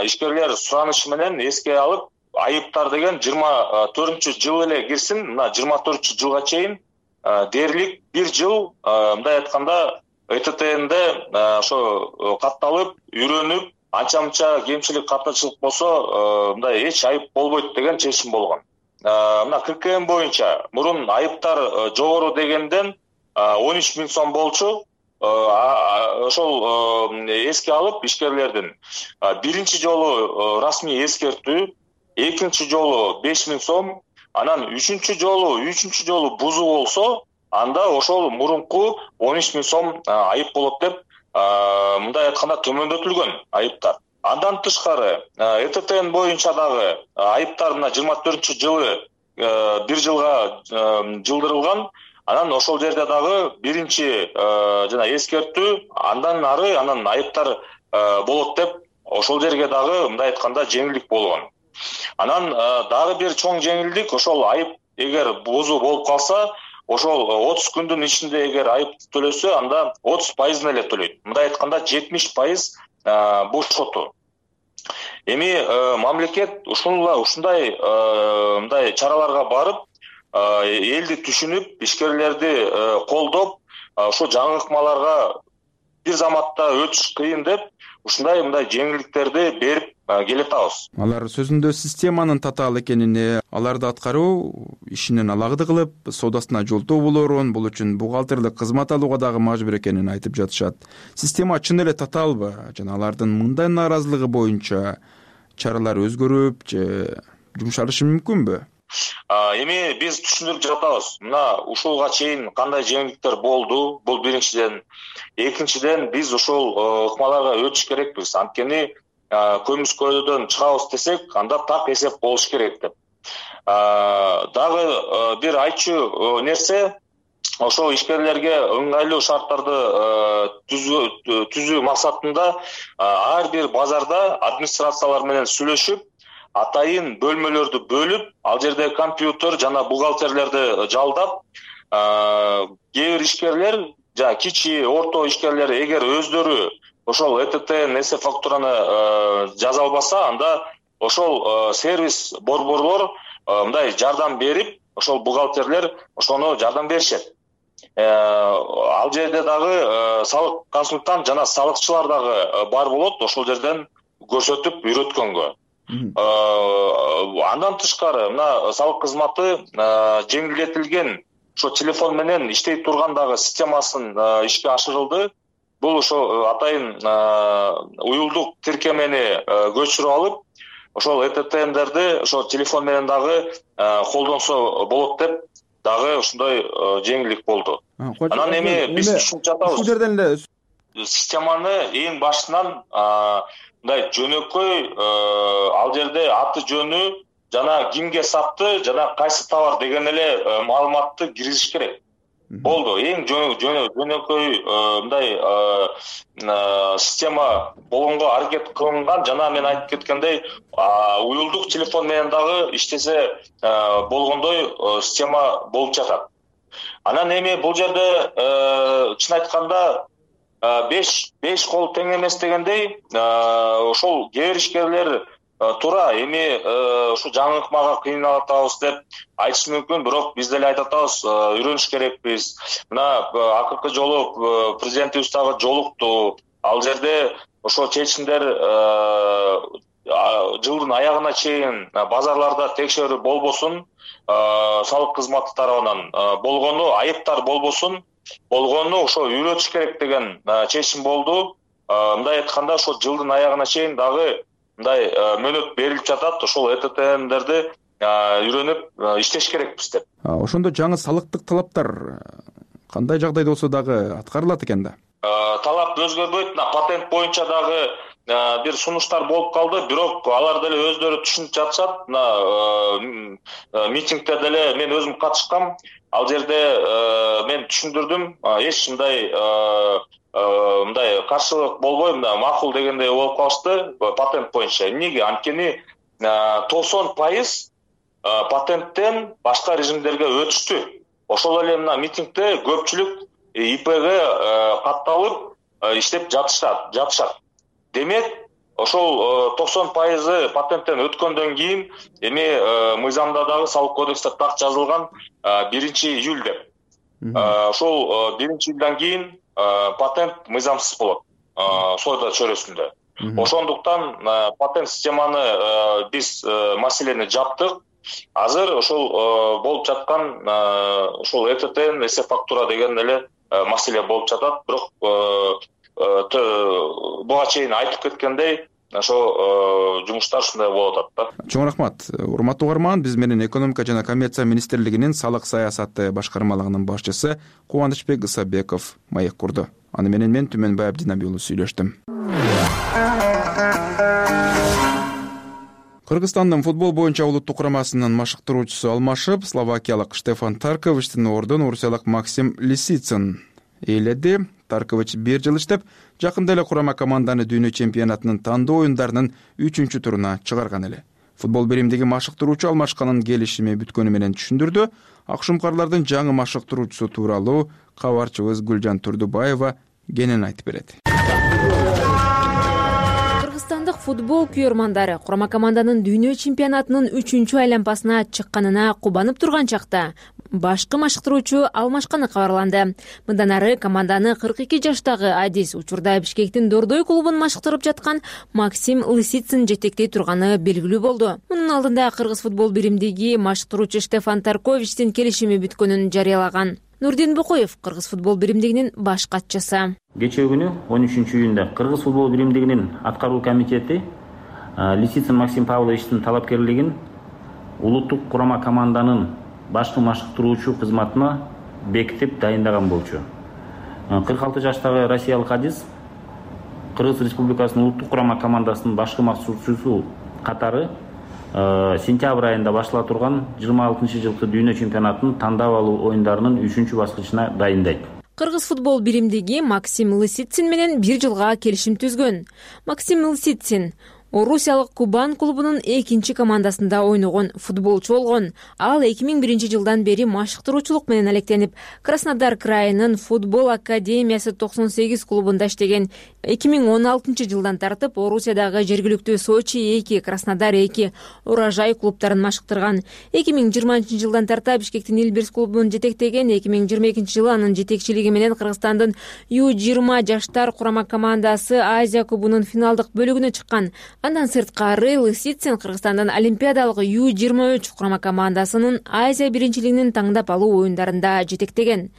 Ишкерлер суранышы менен эске алып, айыптар деген 24-жыл эле кирсин, мына 24-жылга чейин дээрлик 1 жыл мындай айтканда ЭТТнде ошо катталып, үйрөнүп, анча-мынча кемчилик, катачылык болсо, мындай эч айып болбойт деген чечим болгон. Мына ККМ боюнча мурун айыптар жогору дегенден 13 000 сом болчу. Ошол эске алып ишкерлердин биринчи жолу расмий эскертүү, экинчи жолу 5 000 сом, анан үчүнчү жолу бузуу болсо, анда ошол мурунку 13 000 сом айып болот деп мындай айтканда төмөндөтүлгөн айыптар. Андан тышкары ЭТТн боюнча дагы айыптар мына 24-жылы 1 жылга жылдырылган. Анан ошол жерде дагы биринчи жана эскертүү, андан ары анан айыптар болот деп ошол жерге дагы мындай айтканда жеңилдик болгон. Анан дагы бир чоң жеңилдик, ошол айып эгер бузуу болуп калса, ошол 30 күндүн ичинде эгер айып төлөсө, анда 30% эле төлөйт. Мындай айтканда 70% бошотуу. Эми мамлекет ушундай мындай чараларга барып, элди түшүнүп, ишкерлерди колдоп, ошо жаңы ыкмаларга бир заматта өтүш кыйын деп, ушундай мындай жеңилдиктерди берип келатабыз. Алар сөзүндө системанын татаал экенине, аларды аткаруу ишинен алагды кылып, соодасына жолтоо болорун, бул үчүн бухгалтерлик кызмат алууга дагы мажбур экенин айтып жатышат. Система чын эле татаалбы? Жана алардын мындай нааразылыгы боюнча чаралар өзгөрүп же жумшалышы мүмкүнбү? Эми биз түшүндүрүп жатабыз. Мына ушулга чейин кандай жеңилдиктер болду? Бул биринчиден. Экинчиден, биз ушул ыкмаларга өтүш керекпиз. Анткени көмүс көйдөдөн чыгабыз десек, анда так эсеп болуш керек деп. Дагы бир айтчу нерсе, ошол ишкерлерге ыңгайлуу шарттарды түзүү максатында ар бир базарда администрациялар менен сүйлөшүп, атайын бөлмөлөрдү бөлүп, ал жерде компьютер жана бухгалтерлерди жалдап, кээ бир ишкерлер, жана кичи, орто ишкерлер эгер өздөрү ошол ЭТТн эсеп фактураны жаза албаса, анда ошол сервис борборлор мындай жардам берип, ошол бухгалтерлер ошону жардам беришет. Ал жерде дагы салык консультант жана салыкчылар дагы бар болот, ошол жерден көрсөтүп үйрөткөнгө. Андан тышкары мына салык кызматы жеңилдетилген ошо телефон менен иштей турган дагы системасын ишке ашырылды. Бул ошо атайын уюлдук тиркемени көчүрүп алып, ошол ЭТТМдерди ошо телефон менен дагы колдонсо болот деп дагы ушундай жеңилдик болду. Анан эми биз түшүнүп жатабыз. Ушул жерден эле системаны эң башынан мындай жөнөкөй ал жерде аты жөнү жана кимге сатты жана кайсы товар деген эле маалыматты киргизиш керек. Болду. Эң жөнөкөй мындай система болгонго аракет кылынган. Жана мен айтып кеткендей, уюлдук телефон менен дагы иштесе болгондой система болуп жатат. Анан эми бул жерде чын айтканда 5 кол тең эмес дегендей, ошол кээ бир ишкерлер туура эми ушу жаңы ыкмага кыйналып атабыз деп айтышы мүмкүн, бирок биз деле айтып атабыз, үйрөнүш керекпиз. Мына акыркы жолу президентибиз дагы жолукту. Ал жерде ошол чечимдер жылдын аягына чейин базарларда текшерүү болбосун, салык кызматы тарабынан болгону, айыптар болбосун, болгону ошо үйрөтүш керек деген чечим болду. Мындай айтканда, ошо жылдын аягына чейин дагы мындай мөөнөт берилип жатат. Ошол ЭТТМдерди үйрөнүп иштеш керекпиз деп. Ошондо жаңы салыктык талаптар кандай жагдайда болсо дагы аткарылат экен да? Талап өзгөрбөйт. Патент боюнча дагы бир сунуштар болуп калды, бирок алар деле өздөрү түшүнүп жатышат. Митингде деле мен өзүм катышкам. Ал жерде мен түшүндүрдүм, эч мындай каршылык болбой, макул дегендей болуп калышты патент боюнча. Эмнеге? Анткени 90% патенттен башка режимдерге өтүштү. Ошол эле мына митингде көпчүлүк ИПге катталып иштеп жатышат. Демек, ошол 90% патенттен өткөндөн кийин эми мыйзамда дагы салык кодексте так жазылган 1-июль деп. Ошол 1-июлдан кийин патент мыйзамсыз болот соода чөйрөсүндө. Ошондуктан патент системаны биз маселени жаптык. Азыр ошол болуп жаткан ошол ЭТТ, эсеп-фактура деген эле маселе болуп жатат. Бирок буга чейин айтып кеткендей, ошо жумуштар ушундай болуп атат да. Чоң рахмат. Урматтуу угарман, биз менен экономика жана коммерция министрлигинин салык саясаты башкармалыгынын башчысы Кубанычбек Ысабеков маек курду. Аны менен мен Түмөнбай Абдинабий уулу сүйлөштүм. Кыргызстандын футбол боюнча улуттук курамасынын машыктыруучусу алмашып, словакиялык Штефан Тарковичтин ордун орусиялык Максим Лисицын ээледи. Таркович 1 жыл иштеп, жакында эле курама команданы дүйнө чемпионатынын тандоо оюндарынын 3-туруна чыгарган эле. Футбол биримдиги машыктыруучу алмашканын келишими бүткөнү менен түшүндүрдү. Акшумкарлардын жаңы машыктыруучусу тууралуу кабарчыбыз Гүлжан Турдубаева кенен айтып берет. Кыргызстандык футбол күйөрмандары курама команданын дүйнө чемпионатынын 3-айланпасына чыкканына кубанып турган чакта башкы машыктыруучу алмашканы кабарланды. Мындан ары команданы 42 жаштагы Адис учурда Бишкектин Дордой клубун машыктырып жаткан Максим Лисицын жетектей турганы белгилүү болду. Мунун алдында Кыргыз футбол биримдиги машыктыруучу Штефан Тарковичтин келишими бүткөнүн жарыялаган. Нурдин Букоев, Кыргыз футбол биримдигинин баш катчысы. Кечээ күнү 13-июнда Кыргыз футбол биримдигинин аткаруу комитети Лисицын Максим Павловичтин талапкерлигин улуттук курама команданын башкы машыктыруучу кызматына бекитип дайындаган болчу. 46 жаштагы россиялык Адис Кыргыз Республикасынын улуттук курама командасынын башкы машыктыруучусу катары сентябрь айында баштала турган 26-жылкы дүйнө чемпионатынын тандап алуу оюндарынын 3-баскычына дайындайт. Кыргыз футбол биримдиги Максим Лисицин менен 1 жылга келишим түзгөн. Максим Лисицин Орусиялык Кубан клубунун 2 командасында ойногон футболчу болгон. Ал 2001 жылдан бери машыктыруучулук менен алектенип, Краснодар крайынын футбол академиясы 98 клубунда иштеген. 2016 жылдан тартып Орусиядагы жергиликтүү Сочи 2, Краснодар 2, Урожай клубтарын машыктырган. 2020 жылдан тарта Бишкектин Илбирс клубун жетектеген. 2022 жылы анын жетекчилиги менен Кыргызстандын U20 жаштар курама командасы Азия кубунун финалдык бөлүгүнө чыккан. Андан сырткары Лисицин Кыргызстандын олимпиадалык U23 курама командасынын Азия биринчилигинин таңдап алуу оюндарында жетектеген.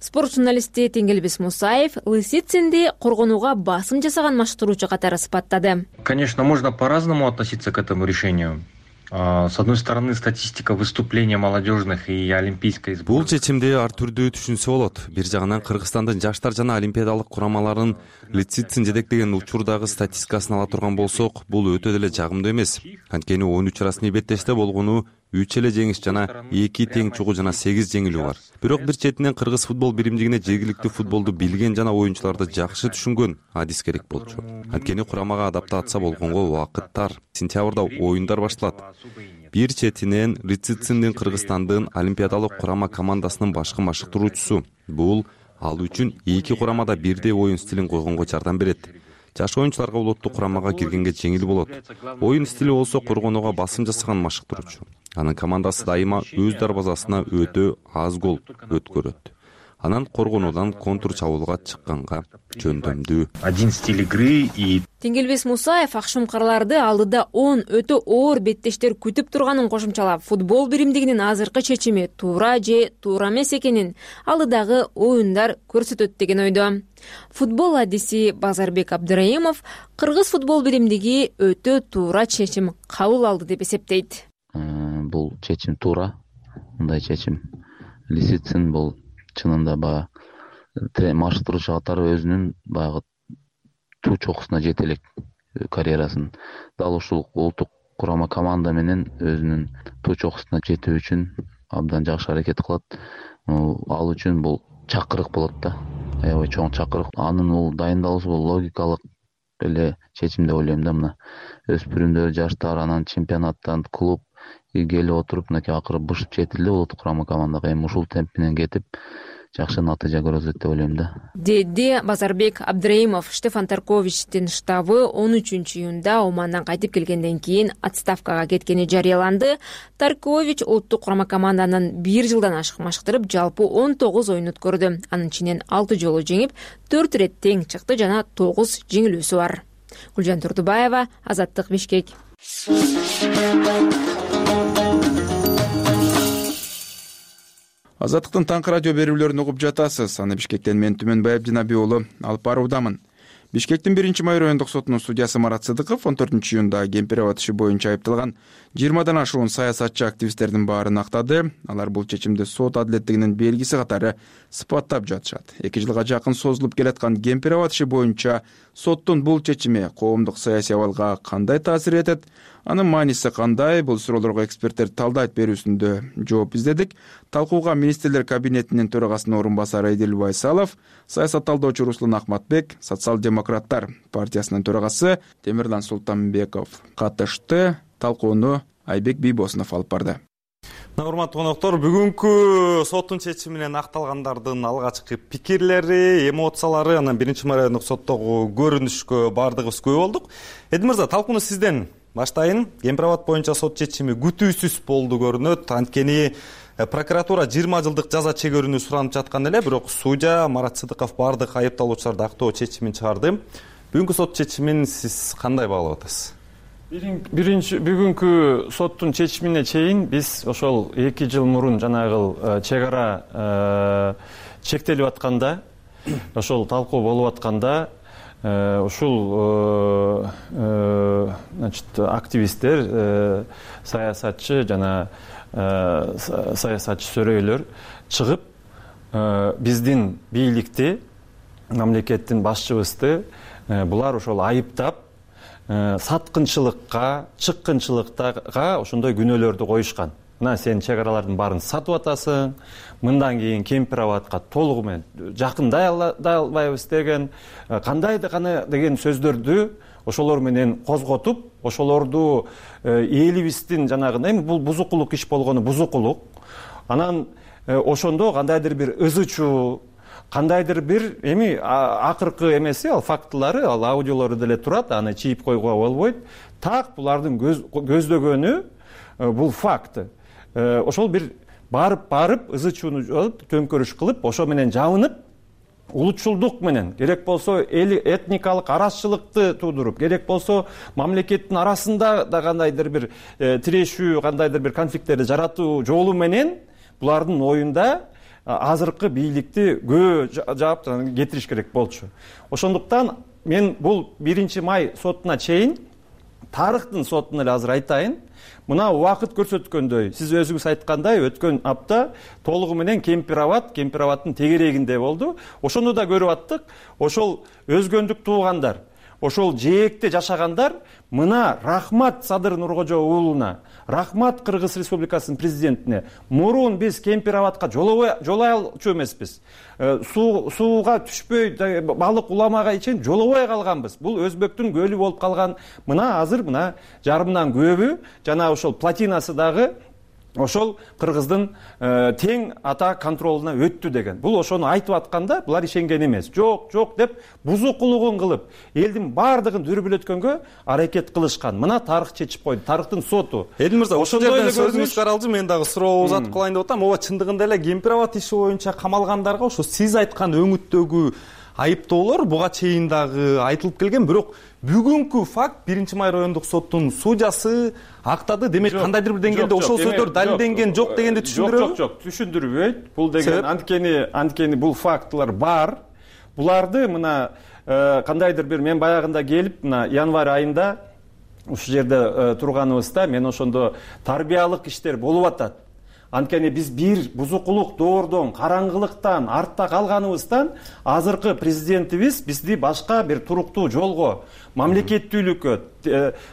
Спорт журналисти Теңгелбес Мусаев Лисицинди коргонууга басым жасаган машыктыруучу катары сыпаттады. Конечно, можно по-разному относиться к этому решению. С одной стороны, статистика выступления молодежных и олимпийской сборной. Бул чечимди ар түрдүү түшүнсө болот. Бир жагынан Кыргызстандын жаштар жана олимпиадалык курамаларынын Лисицин жетектеген учурдагы статистикасын ала турган болсок, бул өтө деле жагымдуу эмес. Анткени 13 расмий беттеште болгону 3 эле жеңиш жана 2 тең чугу жана 8 жеңилүү бар. Бирок бир четинен Кыргыз футбол биримдигине жергиликтүү футболду билген жана оюнчуларды жакшы түшүнгөн адис керек болчу. Анткени курамага адаптация болгонго убакыт тар. Сентябрда оюндар башталат. Бир четинен Лисициндин Кыргызстандын олимпиадалык курама командасынын башкы машыктыруучусу. Бул ал үчүн эки курамада бирдей оюн стилин койгонго жардам берет. Жаш оюнчуларга улуттук курамага киргенге жеңил болот. Оюн стили болсо коргонууга басым жасаган машыктыруучу. Анын командасы дайыма өз дарбазасына өтө аз гол өткөрөт. Анан коргонуудан контур чабуулга чыкканга жөндөмдүү. Один стиль игры и Теңгелбес Мусаев акшумкарларды алдыда 10 өтө оор беттештер күтүп турганын кошумчалап, футбол биримдигинин азыркы чечими туура же туура эмес экенин алдыдагы оюндар көрсөтөт деген ойдо. Футбол адиси Базарбек Абдыраимов Кыргыз футбол биримдиги өтө туура чечим кабыл алды деп эсептейт. Бул чечим туура, мындай чечим. Лисицин бул чынында баягы машыктыруучу катары өзүнүн баягы туу чокусуна жете элек карьерасын. Дал ушул улуттук курама команда менен өзүнүн туу чокусуна жетүү үчүн абдан жакшы аракет кылат. Ал үчүн бул чакырык болот да. Аябай чоң чакырык. Анын бул дайындалуусу бул логикалык эле чечим деп ойлойм да. Мына өспүрүмдөр, жаштар, анан чемпионаттан клуб келип отуруп, мынакей акыры бышып жетилди улуттук курама командага. Эми ушул темп менен кетип жакшы натыйжа көрсөтөт деп ойлойм да. Деди Базарбек Абдыраимов. Штефан Тарковичтин штабы 13 июнда Омандан кайтып келгенден кийин отставкага кеткени жарыяланды. Таркович улуттук курама команданын 1 жылдан ашык машыктырып, жалпы 19 оюн өткөрдү. Анын ичинен 6 жолу жеңип, 4 ирет тең чыкты жана 9 жеңилүүсү бар. Гүлжан Турдубаева, Азаттык, Бишкек. Азаттыктын таңкы радио берүүлөрүн угуп жатасыз. Аны Бишкектен мен Түмөнбаев Жанаби уулу алып баруудамын. Бишкектин 1-майыр райондук сотунун судьясы Марат Сыдыков 14 июнда Кемпирабад иши боюнча айыпталган 20дан ашуун саясатчы активисттердин баарын актады. Алар бул чечимди сот адилеттигинин белгиси катары сыпаттап жатышат. 2 жылга жакын созулуп келаткан Кемпирабад иши боюнча соттун бул чечими коомдук саясий абалга кандай таасир этет? Анын мааниси кандай? Бул суроолорго эксперттер талдайт берүүсүндө жооп издедик. Талкууга министрлер кабинетинин төрагасынын орун басары Эдил Байсалов, саясат талдоочу Руслан Ахматбек, социал-демократтар партиясынын төрагасы Темирлан Султанбеков катышты. Талкууну Айбек Бийбосунов алып барды. Урматтуу коноктор, бүгүнкү соттун чечими менен акталгандардын алгачкы пикирлери, эмоциялары, анан 1-майыр райондук соттогу көрүнүшкө бардыгыбыз күбө болдук. Эдил мырза, талкууну сизден баштайын. Кемпирабад боюнча сот чечими күтүүсүз болду көрүнөт. Анткени прокуратура 20 жылдык жаза чегөрүүнү суранып жаткан эле, бирок судья Марат Сыдыков бардык айыпталуучуларды актоо чечимин чыгарды. Бүгүнкү сот чечимин сиз кандай баалап атасыз? Бүгүнкү соттун чечимине чейин биз ошол 2 жыл мурун жанагы чек ара чектелип атканда, ошол талкуу болуп атканда, ушул активисттер, саясатчы жана саясатчы сөрөйлөр чыгып биздин бийликти, мамлекеттин башчыбызды булар ошол айыптап, саткынчылыкка, чыккынчылыкка ошондой күнөөлөрдү коюшкан. Мына сен чек аралардын баарын сатып атасың, мындан кийин Кемпирабадка толугу менен жакындай албайбыз деген, кандай деген сөздөрдү ошолор менен козготуп, ошолорду элибиздин жанагы эми бул бузукулук иш болгону бузукулук. Анан ошондо кандайдыр бир ызычуу, кандайдыр бир эми акыркы эмеси, ал фактылары, ал аудиолору деле турат, аны чийип койгуга болбойт. Так булардын көздөгөнү бул факт. Ошол бир барып ызычууну алып, төңкөрүш кылып, ошо менен жабынып, улутчулдук менен, керек болсо этникалык арасчылыкты туудуруп, керек болсо мамлекеттин арасында да кандайдыр бир тирешүү, кандайдыр бир конфликттерди жаратуу жолу менен булардын оюнда азыркы бийликти күбө жаап кетириш керек болчу. Ошондуктан мен бул 1-май сотуна чейин тарыхтын сотун эле азыр айтайын. Мына убакыт көрсөткөндөй, сиз өзүңүз айткандай, өткөн апта толугу менен кемпирабадтын тегерегинде болду. Ошону да көрүп аттык. Ошол өзгөндүк туугандар, ошол жээкте жашагандар мына рахмат Садыр Нуркожо уулуна, рахмат Кыргыз Республикасынын президентине. Мурун биз Кемпирабадка жолой алчу эмеспиз. Сууга түшпөй, балык уламага чейин жолобой калганбыз. Бул өзбектин көлү болуп калган. Мына азыр мына жарымдан көбү жана ошол плотинасы дагы ошол Кыргыздын тең ата контролуна өттү деген. Бул ошону айтып атканда булар ишенген эмес. Жок деп бузукулугун кылып, элдин бардыгын дүрбүлөткөнгө аракет кылышкан. Мына тарых чечип койду, тарыхтын соту. Эдил мырза, ошол жерден сөзүңүз каралжы, мен дагы суроо узатып калайын деп атам. Ооба, чындыгында эле Кемпирабад иши боюнча камалгандарга ошо сиз айткан өңүттөгү айыптоолор буга чейин дагы айтылып келген, бирок бүгүнкү факт 1-май райондук соттун судьясы актады. Демек, кандайдыр бир деңгээлде ошол сөздөр далилденген жок дегенди түшүндүрөбү? Жок, түшүндүрбөйт. Бул деген анткени бул фактылар бар. Буларды мына кандайдыр бир, мен баягында келип, мына январь айында ушул жерде турганыбызда мен ошондо тарбиялык иштер болуп атат. Анткени биз бир бузукулук доордон, караңгылыктан, артта калганыбыздан азыркы президентибиз бизди башка бир туруктуу жолго, мамлекеттүүлүккө,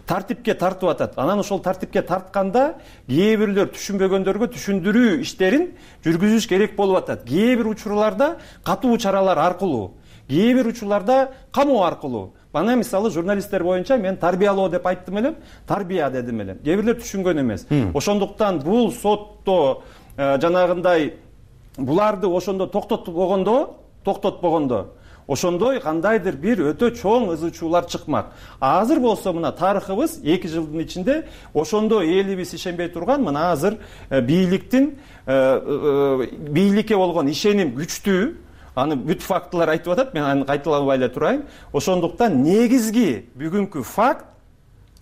тартипке тартып атат. Анан ошол тартипке тартканда кээ бирлер түшүнбөгөндөргө түшүндүрүү иштерин жүргүзүш керек болуп атат. Кээ бир учурларда катуу чаралар аркылуу, кээ бир учурларда камоо аркылуу. Бана мисалы журналисттер боюнча мен тарбиялоо деп айттым элем, тарбия дедим элем. Кээ бирлер түшүнгөн эмес. Ошондуктан бул сотто жанагындай буларды ошондо токтотпогондо ошондой кандайдыр бир өтө чоң ызы-чуулар чыкмак. Азыр болсо мына тарыхыбыз 2 жылдын ичинде ошондо элибиз ишенбей турган, мына азыр бийликке болгон ишеним күчтүү. Аны бүт фактылар айтып атат, мен аны кайталабай эле турайын. Ошондуктан негизги бүгүнкү факт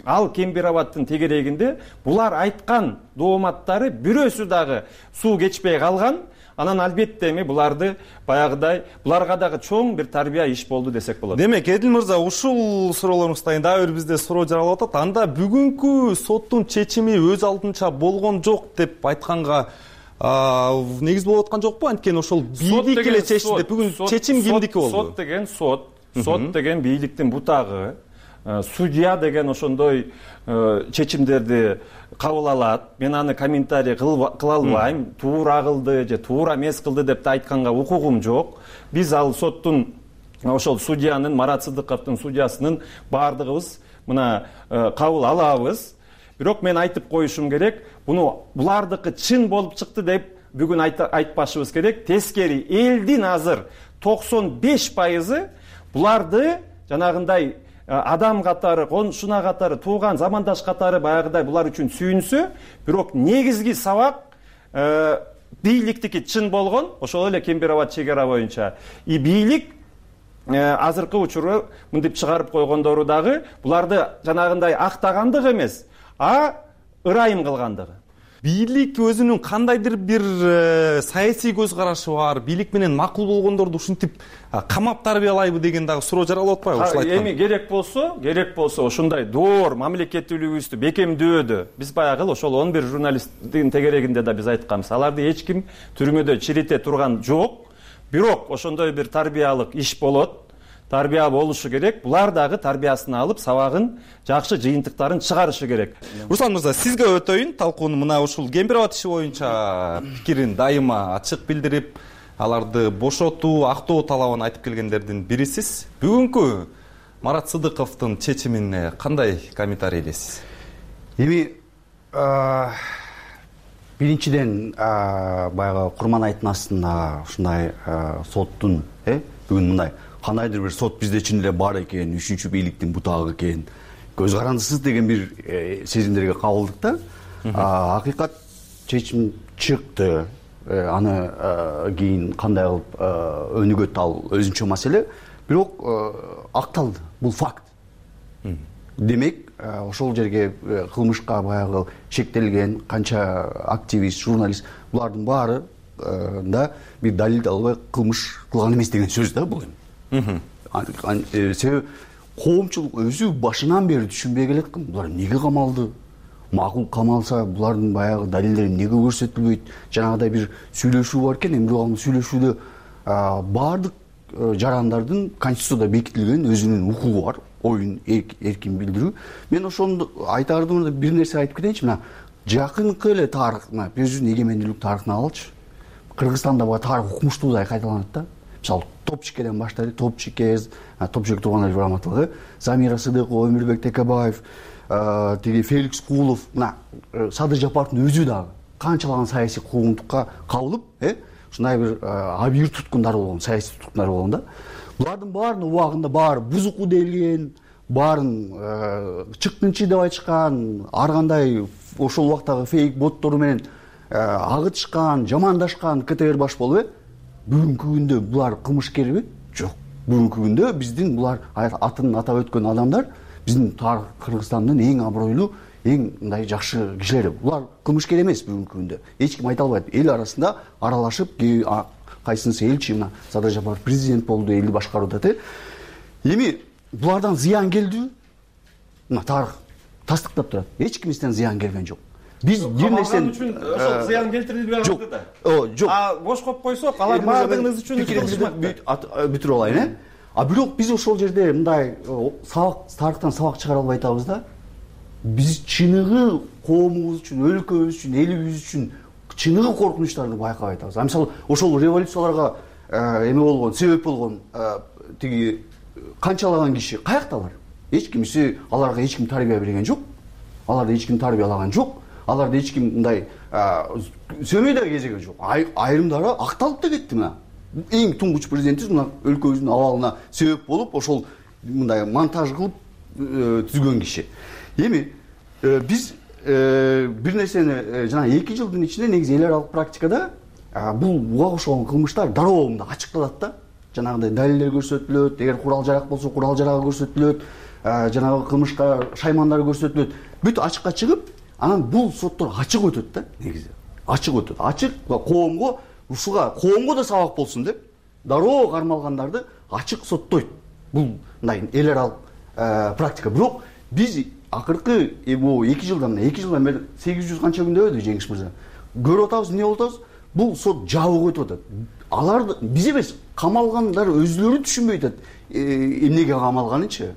ал Кемпирабадтын тегерегинде булар айткан дооматтары бирөөсү дагы суу кечпей калган. Анан албетте эми буларды баягыдай буларга дагы чоң бир тарбия иш болду десек болот. Демек, Эдил мырза, ушул суроолоруңуздан дагы бир бизде суроо жаралып атат. Анда бүгүнкү соттун чечими өз алдынча болгон жок деп айтканга негиз болуп аткан жокпу? Анткени ошол бийлик эле чечти деп бүгүн чечим кимдики болду? Сот деген бийликтин бутагы. Судья деген ошондой чечимдерди кабыл алат. Мен аны комментарий кыла албайм. Туура кылды же туура эмес кылды деп айтканга укугум жок. Биз ал соттун ошол судьянын, Марат Сыдыковдун судьясынын бардыгыбыз мына кабыл алабыз. Бирок мен айтып коюшум керек, булардыкы чын болуп чыкты деп бүгүн айтпашыбыз керек. Тескери, элдин азыр 95% буларды жанагындай адам катары, коншуна катары, тууган замандаш катары баягыдай булар үчүн сүйүнсө, бирок негизги сабак бийликтики чын болгон, ошол эле Кемпирабад чек ара боюнча. Бийлик азыркы учуру мынтип чыгарып койгондору дагы буларды жанагындай актагандык эмес, ырайым кылгандыгы. Бийлик өзүнүн кандайдыр бир саясий көз карашы бар, бийлик менен макул болгондорду ушинтип камап тарбиялайбы деген дагы суроо жаралып атпайбы ушул айткан? Эми керек болсо ошондой доор мамлекеттүүлүгүбүздү бекемдөөдө биз баягы ошол 11 журналисттин тегерегинде да биз айтканбыз. Аларды эч ким түрмөдө чирите турган жок. Бирок ошондой бир тарбиялык иш болот. Тарбия болушу керек. Булар дагы тарбиясын алып, сабагын, жакшы жыйынтыктарын чыгарышы керек. Руслан мырза, сизге өтөйүн. Талкууну мына ушул Кемпирабад иши боюнча пикирин дайыма ачык билдирип, аларды бошотуу, актоо талабын айтып келгендердин бирисиз. Бүгүнкү Марат Сыдыковдун чечимине кандай комментарий элесиз? Эми биринчиден баягы Курманайдын астында ушундай соттун бүгүн мындай кандайдыр бир сот бизде чын эле бар экен, үчүнчү бийликтин бутагы экен, көз карандысыз деген бир сезимдерге кабылдык да. Акыйкат чечим чыкты. Аны кийин кандай кылып өнүгөт ал өзүнчө маселе. Бирок акталды. Бул факт. Демек, ошол жерге кылмышка баягы шектелген канча активист, журналист булардын баары да бир далилди албай кылмыш кылган эмес деген сөз да бул эми. Себеби коомчулук өзү башынан бери түшүнбөй келет экен, булар эмнеге камалды, макул камалса булардын баягы далилдери эмнеге көрсөтүлбөйт. Жанагыдай бир сүйлөшүү бар экен, эми ал сүйлөшүүдө баардык жарандардын конституцияда бекитилген өзүнүн укугу бар, оюн эркин билдирүү. Мен ошону айтардым, бир нерсе айтып кетейинчи. Мына жакынкы эле тарых, мына өзүнүн эгемендүүлүк тарыхын алалычы. Кыргызстанда бул тарых укмуштуудай кайталанат да. Мисалы Топчикеден баштайт, Топчике турган раматылыгы, Замира Сыдыкова, Өмүрбек Текебаев, тиги Феликс Кулов, мына Садыр Жапаровдун өзү дагы канчалаган саясий куугунтукка кабылып, ушундай бир абийир туткундар болгон, саясий туткундар болгон да. Булардын баарынын убагында баары бузуку делген, баарын чыккынчы деп айтышкан, ар кандай ошол убактагы фейк боттору менен агытышкан, жамандашкан КТР баш болуп, бүгүнкү күндө булар кылмышкерби? Жок. Бүгүнкү күндө биздин булар атын атап өткөн адамдар биздин Кыргызстандын эң абройлуу, эң мындай жакшы кишилери. Булар кылмышкер эмес бүгүнкү күндө. Эч ким айта албайт. Эл арасында аралашып, кайсынысы элчи, мына Садыр Жапаров президент болду, элди башкарып атат. Эми булардан зыян келдиби? Мына тарых тастыктап турат. Эч кимден зыян келген жок. Биз бир нерсени үчүн ошол зыян келтирди деп атты да. Жок. Бош коюп койсок, алар баардыгыңыз үчүн кылышмак. Бүтүрүп алайын, А бирок биз ошол жерде мындай тарыхтан сабак чыгара албай атабыз да. Биз чыныгы коомубуз үчүн, өлкөбүз үчүн, элибиз үчүн чыныгы коркунучтарды байкабай атабыз. Мисалы, ошол революцияларга эме болгон, себеп болгон тиги канчалаган киши каякталар? Эч кимиси аларга эч ким тарбия берген жок. Аларды эч ким тарбиялаган жок. Аларды эч ким мындай сөмөй да кезеген жок. Айрымдары акталып да кетти мына. Эң туңгуч президентибиз мына өлкөбүздүн абалына себеп болуп, ошол мындай монтаж кылып түзгөн киши. Эми биз бир нерсени жана 2 жылдын ичинде негизи эл аралык практикада бул буга окшогон кылмыштар дароо мындай ачыкталат да. Жанагындай далилдер көрсөтүлөт, эгер курал жарак болсо курал жарагы көрсөтүлөт, жанагы кылмышка шаймандар көрсөтүлөт. Бүт ачыкка чыгып, анан бул соттор ачык өтөт да, негизи. Ачык өтөт. Ачык коомго, ушуга коомго да сабак болсун деп, дароо кармалгандарды ачык соттойт. Бул мындай эл аралык практика. Бирок биз акыркы 2 жылдан бери 800 канча күндө өтдү Жеңиш мырза. Көрүп атабыз, эмне болуп атабыз? Бул сот жабык өтүп атат. Алар биз эмес, камалгандар өзүлөрү түшүнбөй атат эмнеге камалганынчы.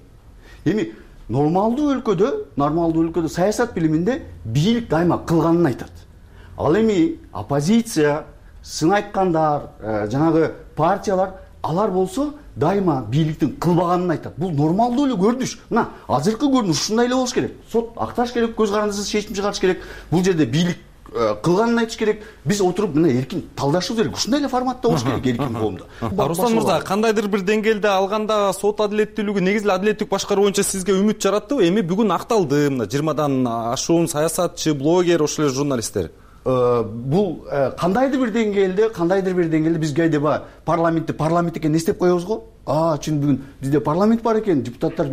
Эми нормалдуу өлкөдө саясат билиминде бийлик дайыма кылганын айтат. Ал эми оппозиция, сын айткандар, жанагы партиялар, алар болсо дайыма бийликтин кылбаганын айтат. Бул нормалдуу эле көрүнүш. Мына азыркы көрүнүш ушундай эле болуш керек. Сот акташ керек, көз карандысыз чечим чыгарыш керек. Бул жерде бийлик кылганын айтыш керек. Биз отуруп мына эркин талдашыбыз керек. Ушундай эле форматта болуш керек эркин коомдо. Руслан мырза, кандайдыр бир деңгээлде алганда сот адилеттүүлүгү, негизи эле адилеттик башкаруу боюнча сизге үмүт жараттыбы? Эми бүгүн акталды, мына 20дан ашуун саясатчы, блогер, ошол эле журналисттер. Бул кандайдыр бир деңгээлде бизге айдаба парламентке не істеп коебуз го? Чын бүгүн бизде парламент бар экен, депутаттар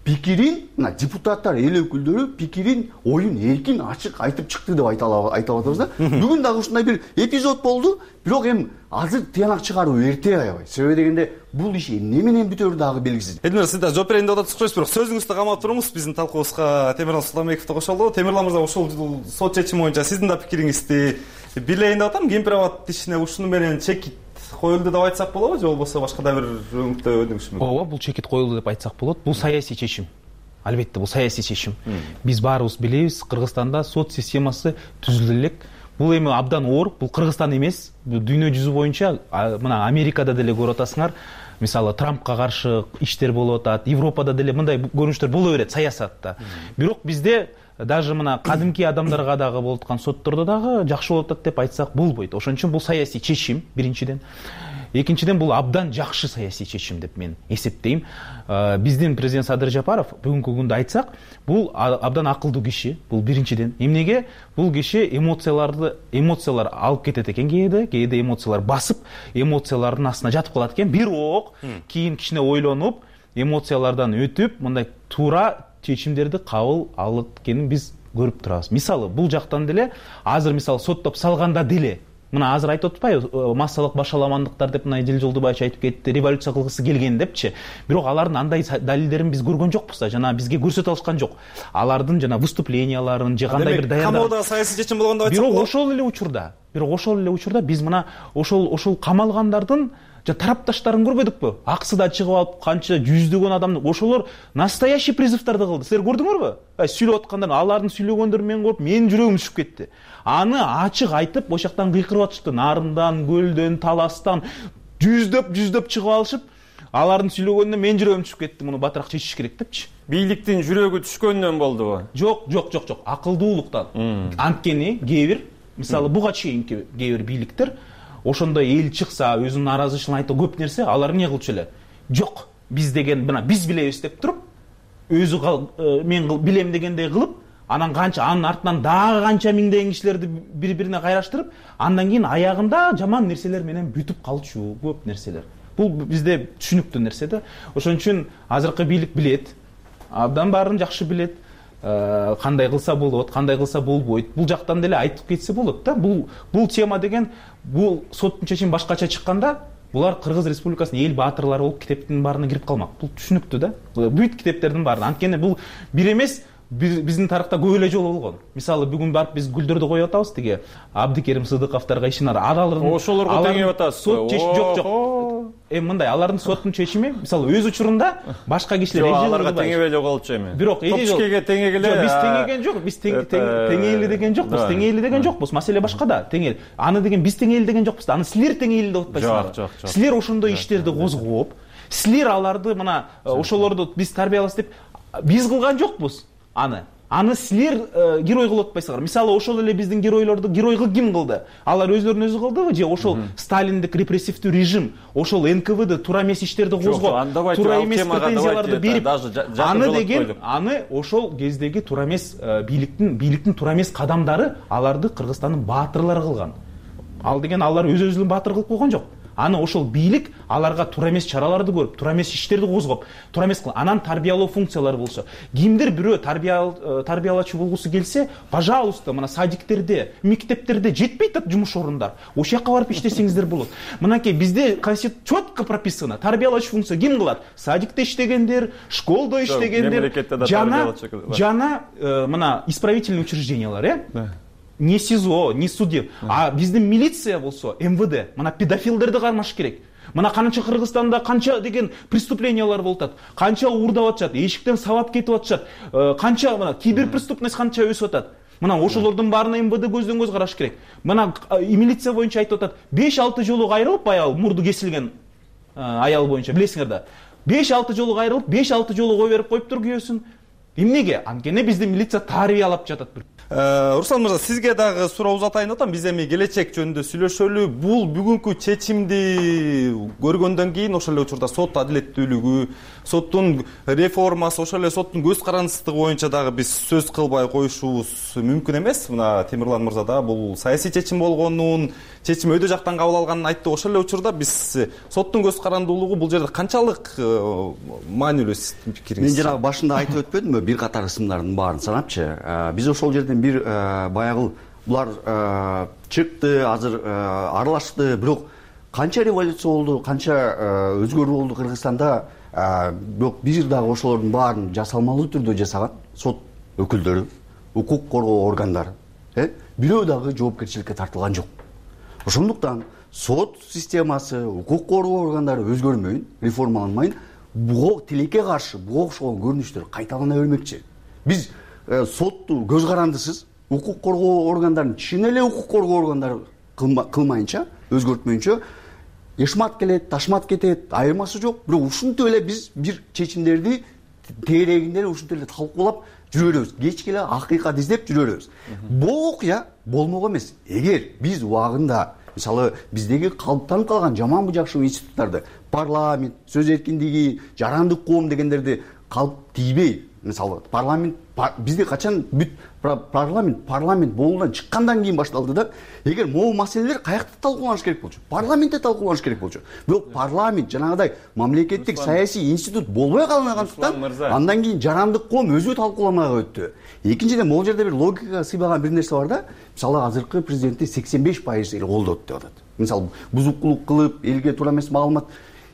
пикирин, мына депутаттар, эл өкүлдөрү пикирин, оюн эркин, ачык айтып чыкты деп айтып атабыз да. Бүгүн дагы ушундай бир эпизод болду, бирок эми азыр тыянак чыгаруу эрте аябай. Себеби дегенде бул иш эмне менен бүтөрү дагы белгисиз. Элмир, сиз да жооп берейин деп атасыз, бирок сөзүңүздү камап туруңуз. Биздин талкуубузга Темирлан Султанбековду кошолду. Темирлан мырза, ошол сот чечими боюнча сиздин да пикириңизди билейин деп атам. Кемпир-абад ишине ушуну менен чекит коюлду деп айтсак болобу, же болбосо башка да бир өңүттө өдүңүш мүмкүн? Ооба, бул чекит коюлду деп айтсак болот. Бул саясий чечим. Албетте, бул саясий чечим. Биз баарыбыз билебиз, Кыргызстанда сот системасы түзүлдү элек. Бул эми абдан оор, бул Кыргызстан эмес, дүйнө жүзү боюнча, мына Америкада деле көрүп атасыңар, мисалы Трампка каршы иштер болуп атат, Европада деле мындай көрүнүштөр боло берет саясатта. Бирок бизде даже мына кадимки адамдарга дагы болуп аткан соттордо дагы жакшы болуп атат деп айтсак болбойт. Ошон үчүн бул саясий чечим, биринчиден. Экинчиден, бул абдан жакшы саясий чечим деп мен эсептейм. Биздин президент Садыр Жапаров бүгүнкү күндө айтсак, бул абдан акылдуу киши. Бул биринчиден. Эмнеге? Бул киши эмоциялар алып кетет экен кээде эмоциялар басып, эмоциялардын астына жатып калат экен. Бирок кийин кичине ойлонуп, эмоциялардан өтүп, мындай туура чечимдерди кабыл алат экенин биз көрүп турабыз. Мисалы, бул жактан деле азыр мисалы соттоп салганда деле мына азыр айтып атпайбы, массалык башаламандыктар деп мына Эдил Жолдубаевич айтып кетти, революция кылгысы келген депчи. Бирок алардын андай далилдерин биз көргөн жокпуз да, жана бизге көрсөтө алышкан жок. Алардын жана выступленияларын же кандай бир даярдык. Камоодо саясий чечим болгондо айтсак болот. Бирок ошол эле учурда биз мына ошол камалгандардын тарапташтарын көрбөдүкпү? Аксы да чыгып алып, канча жүздөгөн адамды, ошолор настоящий призывдарды кылды. Силер көрдүңөрбү? Сүйлөп аткандар, алардын сүйлөгөндөрүн мен көрүп, менин жүрөгүм түшүп кетти. Аны ачык айтып, ошол жактан кыйкырып атышты. Нарындан, көлдөн, таластан жүздөп чыгып алышып, алардын сүйлөгөнүнө менин жүрөгүм түшүп кетти. Муну батыраак чечиш керек депчи. Бийликтин жүрөгү түшкөндөн болдубу? Жок. Акылдуулуктан. Анткени кээ бир, мисалы буга чейинки кээ бир бийликтер ошондой эл чыкса, өзүнүн нааразычылыгын айтып көп нерсе, алар эмне кылчу эле? Жок, биз деген мына биз билебиз деп туруп, өзү мен билем дегендей кылып, анан анын артынан дагы канча миңдеген кишилерди бири-бирине кайраштырып, андан кийин аягында жаман нерселер менен бүтүп калчу, көп нерселер. Бул бизде түшүнүктүү нерсе да. Ошон үчүн азыркы бийлик билет, абдан баарын жакшы билет. Кандай кылса болот, кандай кылса болбойт. Бул жактан деле айтып кетсе болот да. Бул тема деген, бул соттун чечими башкача чыкканда, булар Кыргыз Республикасынын эл баатырлары болуп китептин баарына кирип калмак. Бул түшүнүктүү да. Бүт китептердин баарына. Анткени бул бир эмес, биздин тарыхта көп эле жолу болгон. Мисалы бүгүн барып биз гүлдөрдү коюп атабыз, тиги Абдикерим Сыдыковторго ишинар. Ошолорго теңеп атасыз. Жок. Мындай, алардын соттун чечими, мисалы өз учурунда башка кишилер аларга теңебей жоголчу эми. Бирок Топчкеге теңегиле. Биз теңеген жок, биз теңейли деген жокпуз. Теңейли деген жокпуз. Маселе башкада. Теңейли. Аны деген биз теңейли деген жокпуз. Аны силер теңейли деп атпайсыңар. Жок. Силер ошондой иштерди козгоп, силер аларды мына ошолорду биз тарбиялайбыз деп биз кылган жокпуз. Аны силер герой кылып атпайсыңар. Мисалы, ошол эле биздин геройлорду геройго ким кылды? Алар өзлөрүнүн өзү кылдыбы же ошол сталиндик репрессивдүү режим, ошол НКВД туура эмес иштерди козгоп, туура эмес претензияларды берип, аны деген, аны ошол кездеги туура эмес бийликтин туура эмес кадамдары аларды Кыргызстандын баатырлары кылган. Ал деген алар өз-өзүн баатыр кылып койгон жок. Аны ошол бийлик аларга туура эмес чараларды көрүп, туура эмес иштерди козгоп, туура эмес анан тарбиялоо функциялары болсо, кимдир бирөө тарбиялачу болгусу келсе, пожалуйста, мына садиктерде, мектептерде жетпейт да жумуш орундар. Ошол жака барып иштесеңиздер болот. Мынакей бизде конституцияда четко прописано, тарбиялачу функция ким кылат? Садикте иштегендер, школдо иштегендер, жана мына исправительный учреждениялар, не СИЗО, не суде. А биздин милиция болсо, МВД, мына педофилдерди кармаш керек. Мына канча Кыргызстанда канча деген преступлениялар болуп атат, канча уурдап атышат, эшиктен сабап кетип атышат, канча мына киберпреступность канча өсүп атат. Мына ошолордун баарына МВД көздөн көз караш керек. Мына милиция боюнча айтып атат, 5-6 жолу кайрылып, баягы мурду кесилген аял боюнча, билесиңер да. 5-6 жолу кайрылып, 5-6 жолу кой берип коюптур күйөөсүн. Эмнеге? Анткени биздин милиция тарбиялап жатат. Руслан мырза, сизге дагы суроо узатайын атам. Биз эми келечек жөнүндө сүйлөшөлү. Бул бүгүнкү чечимди көргөндөн кийин ошол эле учурда сот адилеттүүлүгү, соттун реформасы, ошол эле соттун көз карандысыздыгы боюнча дагы биз сөз кылбай коюшубуз мүмкүн эмес. Мына Темирлан мырза да бул саясий чечим болгонун, чечим өйдө жактан кабыл алганын айтты. Ошол эле учурда биз соттун көз карандуулугу бул жерде канчалык маанилүү сиздин пикириңиз? Мен жанагы башында айтып өтпөдүмбү, бир катар ысымдардын баарын санапчы. Биз ошол жерден бир баягы булар чыкты, азыр аралашты, бирок канча революция болду, канча өзгөрүү болду Кыргызстанда, бирок бир дагы ошолордун баарын жасалмалуу түрдө жасаган сот өкүлдөрү, укук коргоо органдары, бирөө дагы жоопкерчиликке тартылган жок. Ошондуктан сот системасы, укук коргоо органдары өзгөрмөйүн, реформаланмайын, буга тилекке каршы буга окшогон көрүнүштөр кайталана бермекчи. Биз сотту көз карандысыз, укук коргоо органдарын чын эле укук коргоо органдары кылмайынча, өзгөртмөйүнчө эшмат келет, ташмат кетет, айырмасы жок. Бирок ушинтип эле биз бир чечимдерди тегерегинде ушинтип эле талкуулап жүрө беребиз. Кечке эле акыйкат издеп жүрө беребиз. Бул окуя болмок эмес. Эгер биз убагында мисалы биздеги калыптанып калган жаман бужакшуу институттарды, парламент, сөз эркиндиги, жарандык коом дегендерди калып тийбей, мисалы парламент бизде качан бүт парламент болуудан чыккандан кийин башталды да. Эгер могу маселелер каякта талкууланыш керек болчу? Парламентте талкууланыш керек болчу. Бирок парламент жанагыдай мамлекеттик саясий институт болбой калгандыктан андан кийин жарандык коом өзү талкууламага өттү. Экинчиден, могу жерде бир логикага сыйбаган бир нерсе бар да. Мисалы азыркы президентти 85% эл колдоду деп атат. Мисалы бузукулук кылып, элге туура эмес маалымат.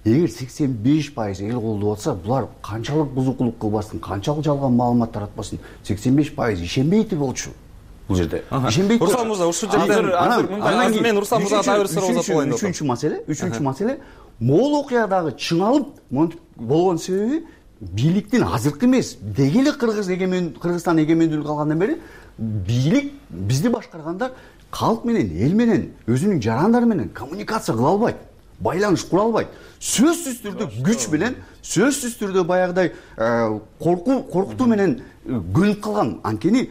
Эгер 85% эл колдоп атса, булар канчалык бузукулук кылбасын, канчалык жалган маалымат таратпасын, 85% ишенбейт болчу. Бул жерде ишенбейт. Руслан мырза, ушул жерден мен Руслан мырзага дагы бир суроо узатып коеюн деп атам. Үчүнчү маселе, могул окуядагы чыңалып болгон себеби бийликтин азыркы эмес, деги эле Кыргызстан эгемендүүлүк алгандан бери бийлик бизди башкаргандар калк менен, эл менен, өзүнүн жарандары менен коммуникация кыла албайт, байланыш кура албайт. Сөзсүз түрдө күч менен, сөзсүз түрдө баягыдай коркутуу менен көнүп калган. Анткени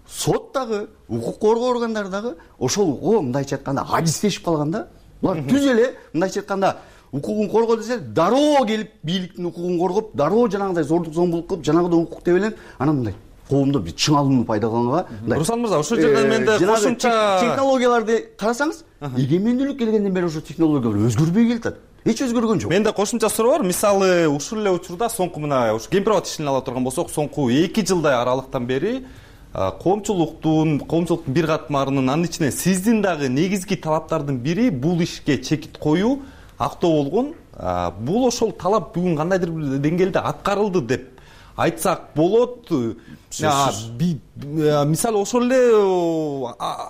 сот дагы, укук коргоо органдары дагы ошол мындайча айтканда ажиздешип калган да. Булар түз эле мындайча айтканда укугун коргоо десе, дароо келип бийликтин укугун коргоп, дароо жанагыдай зордук зомбулук кылып, жанагыдай укук тебеленип, анан мындай коомдо бир чыңалууну пайда кылганга. Руслан мырза, ушул жерден менде кошумча технологияларды карасаңыз, эгемендүүлүк келгенден бери ошо технологиялар өзгөрбөй келатат. Эч өзгөргөн жок. Менде кошумча суроо бар. Мисалы, ушул эле учурда соңку мына ушу Кемпирабад ишин ала турган болсок, соңку 2 жылдай аралыктан бери коомчулуктун бир катмарынын, анын ичинен сиздин дагы негизги талаптардын бири бул ишке чекит коюу, актоо болгон. Бул ошол талап бүгүн кандайдыр бир деңгээлде аткарылды деп айтсак болот. Мисалы ошол эле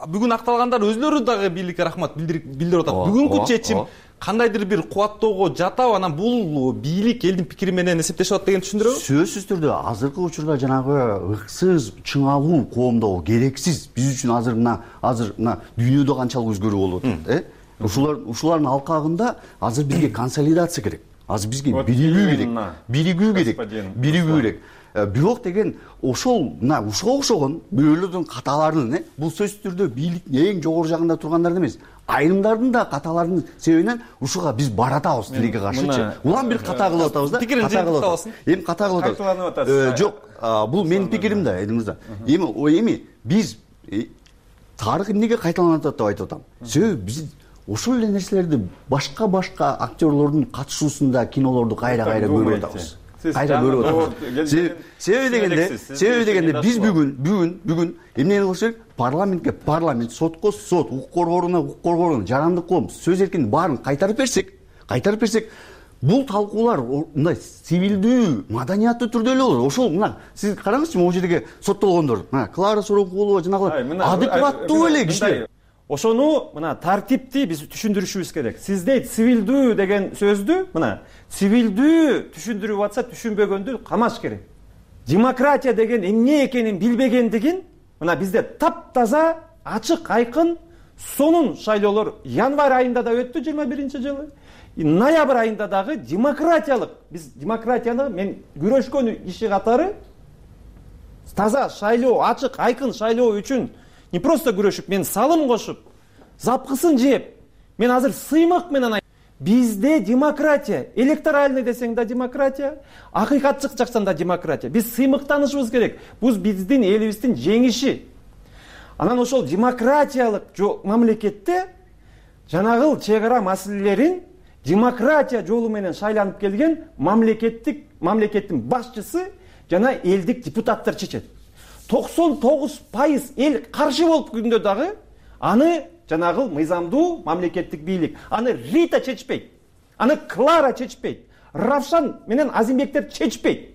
бүгүн акталгандар өзлөрү дагы бийликке рахмат билдирип атат. Бүгүнкү чечим кандайдыр бир кубаттоого жатабы, анан бул бийлик элдин пикири менен эсептешип атат деген түшүндүрөбү? Сөзсүз түрдө азыркы учурда жанагы ыксыз чыңалуу коомдо керексиз. Биз үчүн азыр мына дүйнөдө канчалык өзгөрүү болуп атат, ушулардын алкагында азыр бизге консолидация керек. Азыр бизге биригүү керек. Бирок деген ушуга окшогон бирөөлөрдүн каталарынын, бул сөзсүз түрдө бийликтин эң жогору жагында тургандарды эмес, айрымдардын да каталарынын себебинен ушуга биз баратабыз тилекке каршычы. Улам бир ката кылып атабыз да. Эми ката кылып атабыз. Жок, бул менин пикирим да, Эдил мырза. Эми биз тарых эмнеге кайталанып атат деп айтып атам. Себеби биз ошол эле нерселерди башка актерлордун катышуусунда кинолорду кайра көрүп атабыз. Себеби дегенде биз бүгүн эмнени кылыш керек? Парламентке парламент, сотко сот, укук коргооруна жарандык коом сөз эркиндигин баарын кайтарып берсек, бул талкуулар мындай цивилдүү, маданияттуу түрдө эле болот. Ошол мына сиз караңызчы, могу жердеги соттолгондор, мына Клара Сорокулова жанагы адекваттуу эле кишилер. Ошону мына тартипти биз түшүндүрүшүбүз керек. Сиз дейт цивилдүү деген сөздү, мына цивилдүү түшүндүрүп атса, түшүнбөгөндү камаш керек. Демократия деген эмне экенин билбегендигин мына бизде таптаза, ачык, айкын сонун шайлоолор январь айында да өттү 21-жылы. Ноябрь айында дагы биз демократияны мен күрөшкөн иши катары таза шайлоо, ачык, айкын шайлоо үчүн не просто күрөшүп, мен салым кошуп, запкысын жеп, мен азыр сыймык менен бизде демократия, электоральный десең да демократия, акыйкатчык жаксан да демократия. Биз сыймыктанышыбыз керек. Бул биздин элибиздин жеңиши. Анан ошол демократиялык мамлекетте жанагыл чек ара маселелерин демократия жолу менен шайланып келген мамлекеттин башчысы жана элдик депутаттар чечет. 99% эл каршы болуп күндө дагы аны жанагыл мыйзамдуу мамлекеттик бийлик, аны Рита чечпейт, аны Клара чечпейт, Равшан менен Азимбектер чечпейт.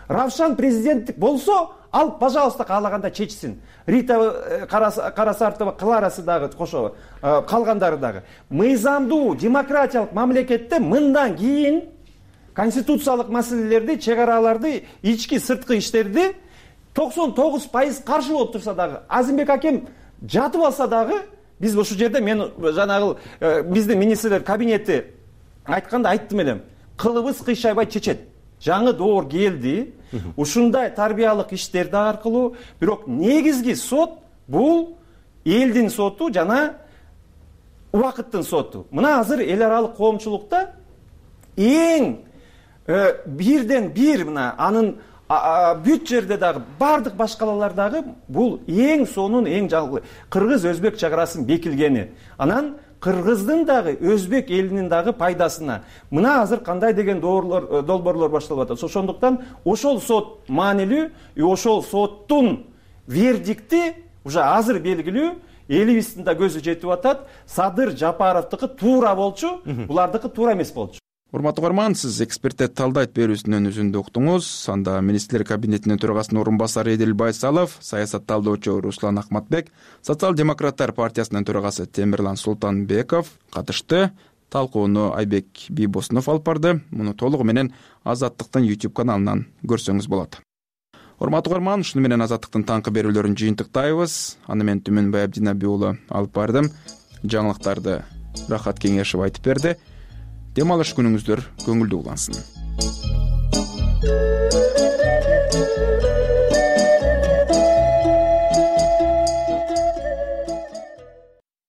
Равшан президенттик болсо, ал пожалуйста каалаганда чечсин. Рита Карасартова, Кларасы дагы кошо, калгандары дагы. Мыйзамдуу демократиялык мамлекетте мындан кийин конституциялык маселелерди, чек араларды, ички сырткы иштерди 99% каршы болуп турса дагы, Азимбек акем жатып алса дагы, биз ошол жерде мен жанагыл биздин министрлер кабинети айтканда айттым элем. Кылыбыз кыйшайбай чечет. Жаңы доор келди. Ушундай тарбиялык иштерди аркылуу, бирок негизги сот бул элдин соту жана убакыттын соту. Мына азыр эл аралык коомчулукта эң бирден бир мына анын бүт жерде дагы баардык башкалар дагы бул эң сонун эң жаңы кыргыз өзбек чек арасын бекилгени. Анан кыргыздын дагы өзбек элинин дагы пайдасына мына азыр кандай деген долбоорлор башталып атат. Ошондуктан ошол сот маанилүү, ошол соттун вердикти уже азыр белгилүү, элибиздин да көзү жетип атат. Садыр Жапаровдуку туура болчу, булардыкы туура эмес болчу. Урматтуу угарман, сиз эксперттер талдайт берүүсүнүн өзүндү уктуңуз. Анда министрлер кабинетинин төрагасынын орун басары Эдил Байсалов, саясат талдоочу Руслан Акматбек, социал-демократтар партиясынын төрагасы Темирлан Султанбеков катышты. Талкууну Айбек Бийбосунов алып барды. Муну толугу менен Азаттыктын YouTube каналынан көрсөңүз болот. Урматтуу угарман, ушуну менен Азаттыктын таңкы берүүлөрүн жыйынтыктайбыз. Аны мен Түмөнбай Абдинаби уулу алып бардым. Жаңылыктарды Рахат Кеңешев айтып берди. Дем алыш күнүңүздөр көңүлдүү улансын.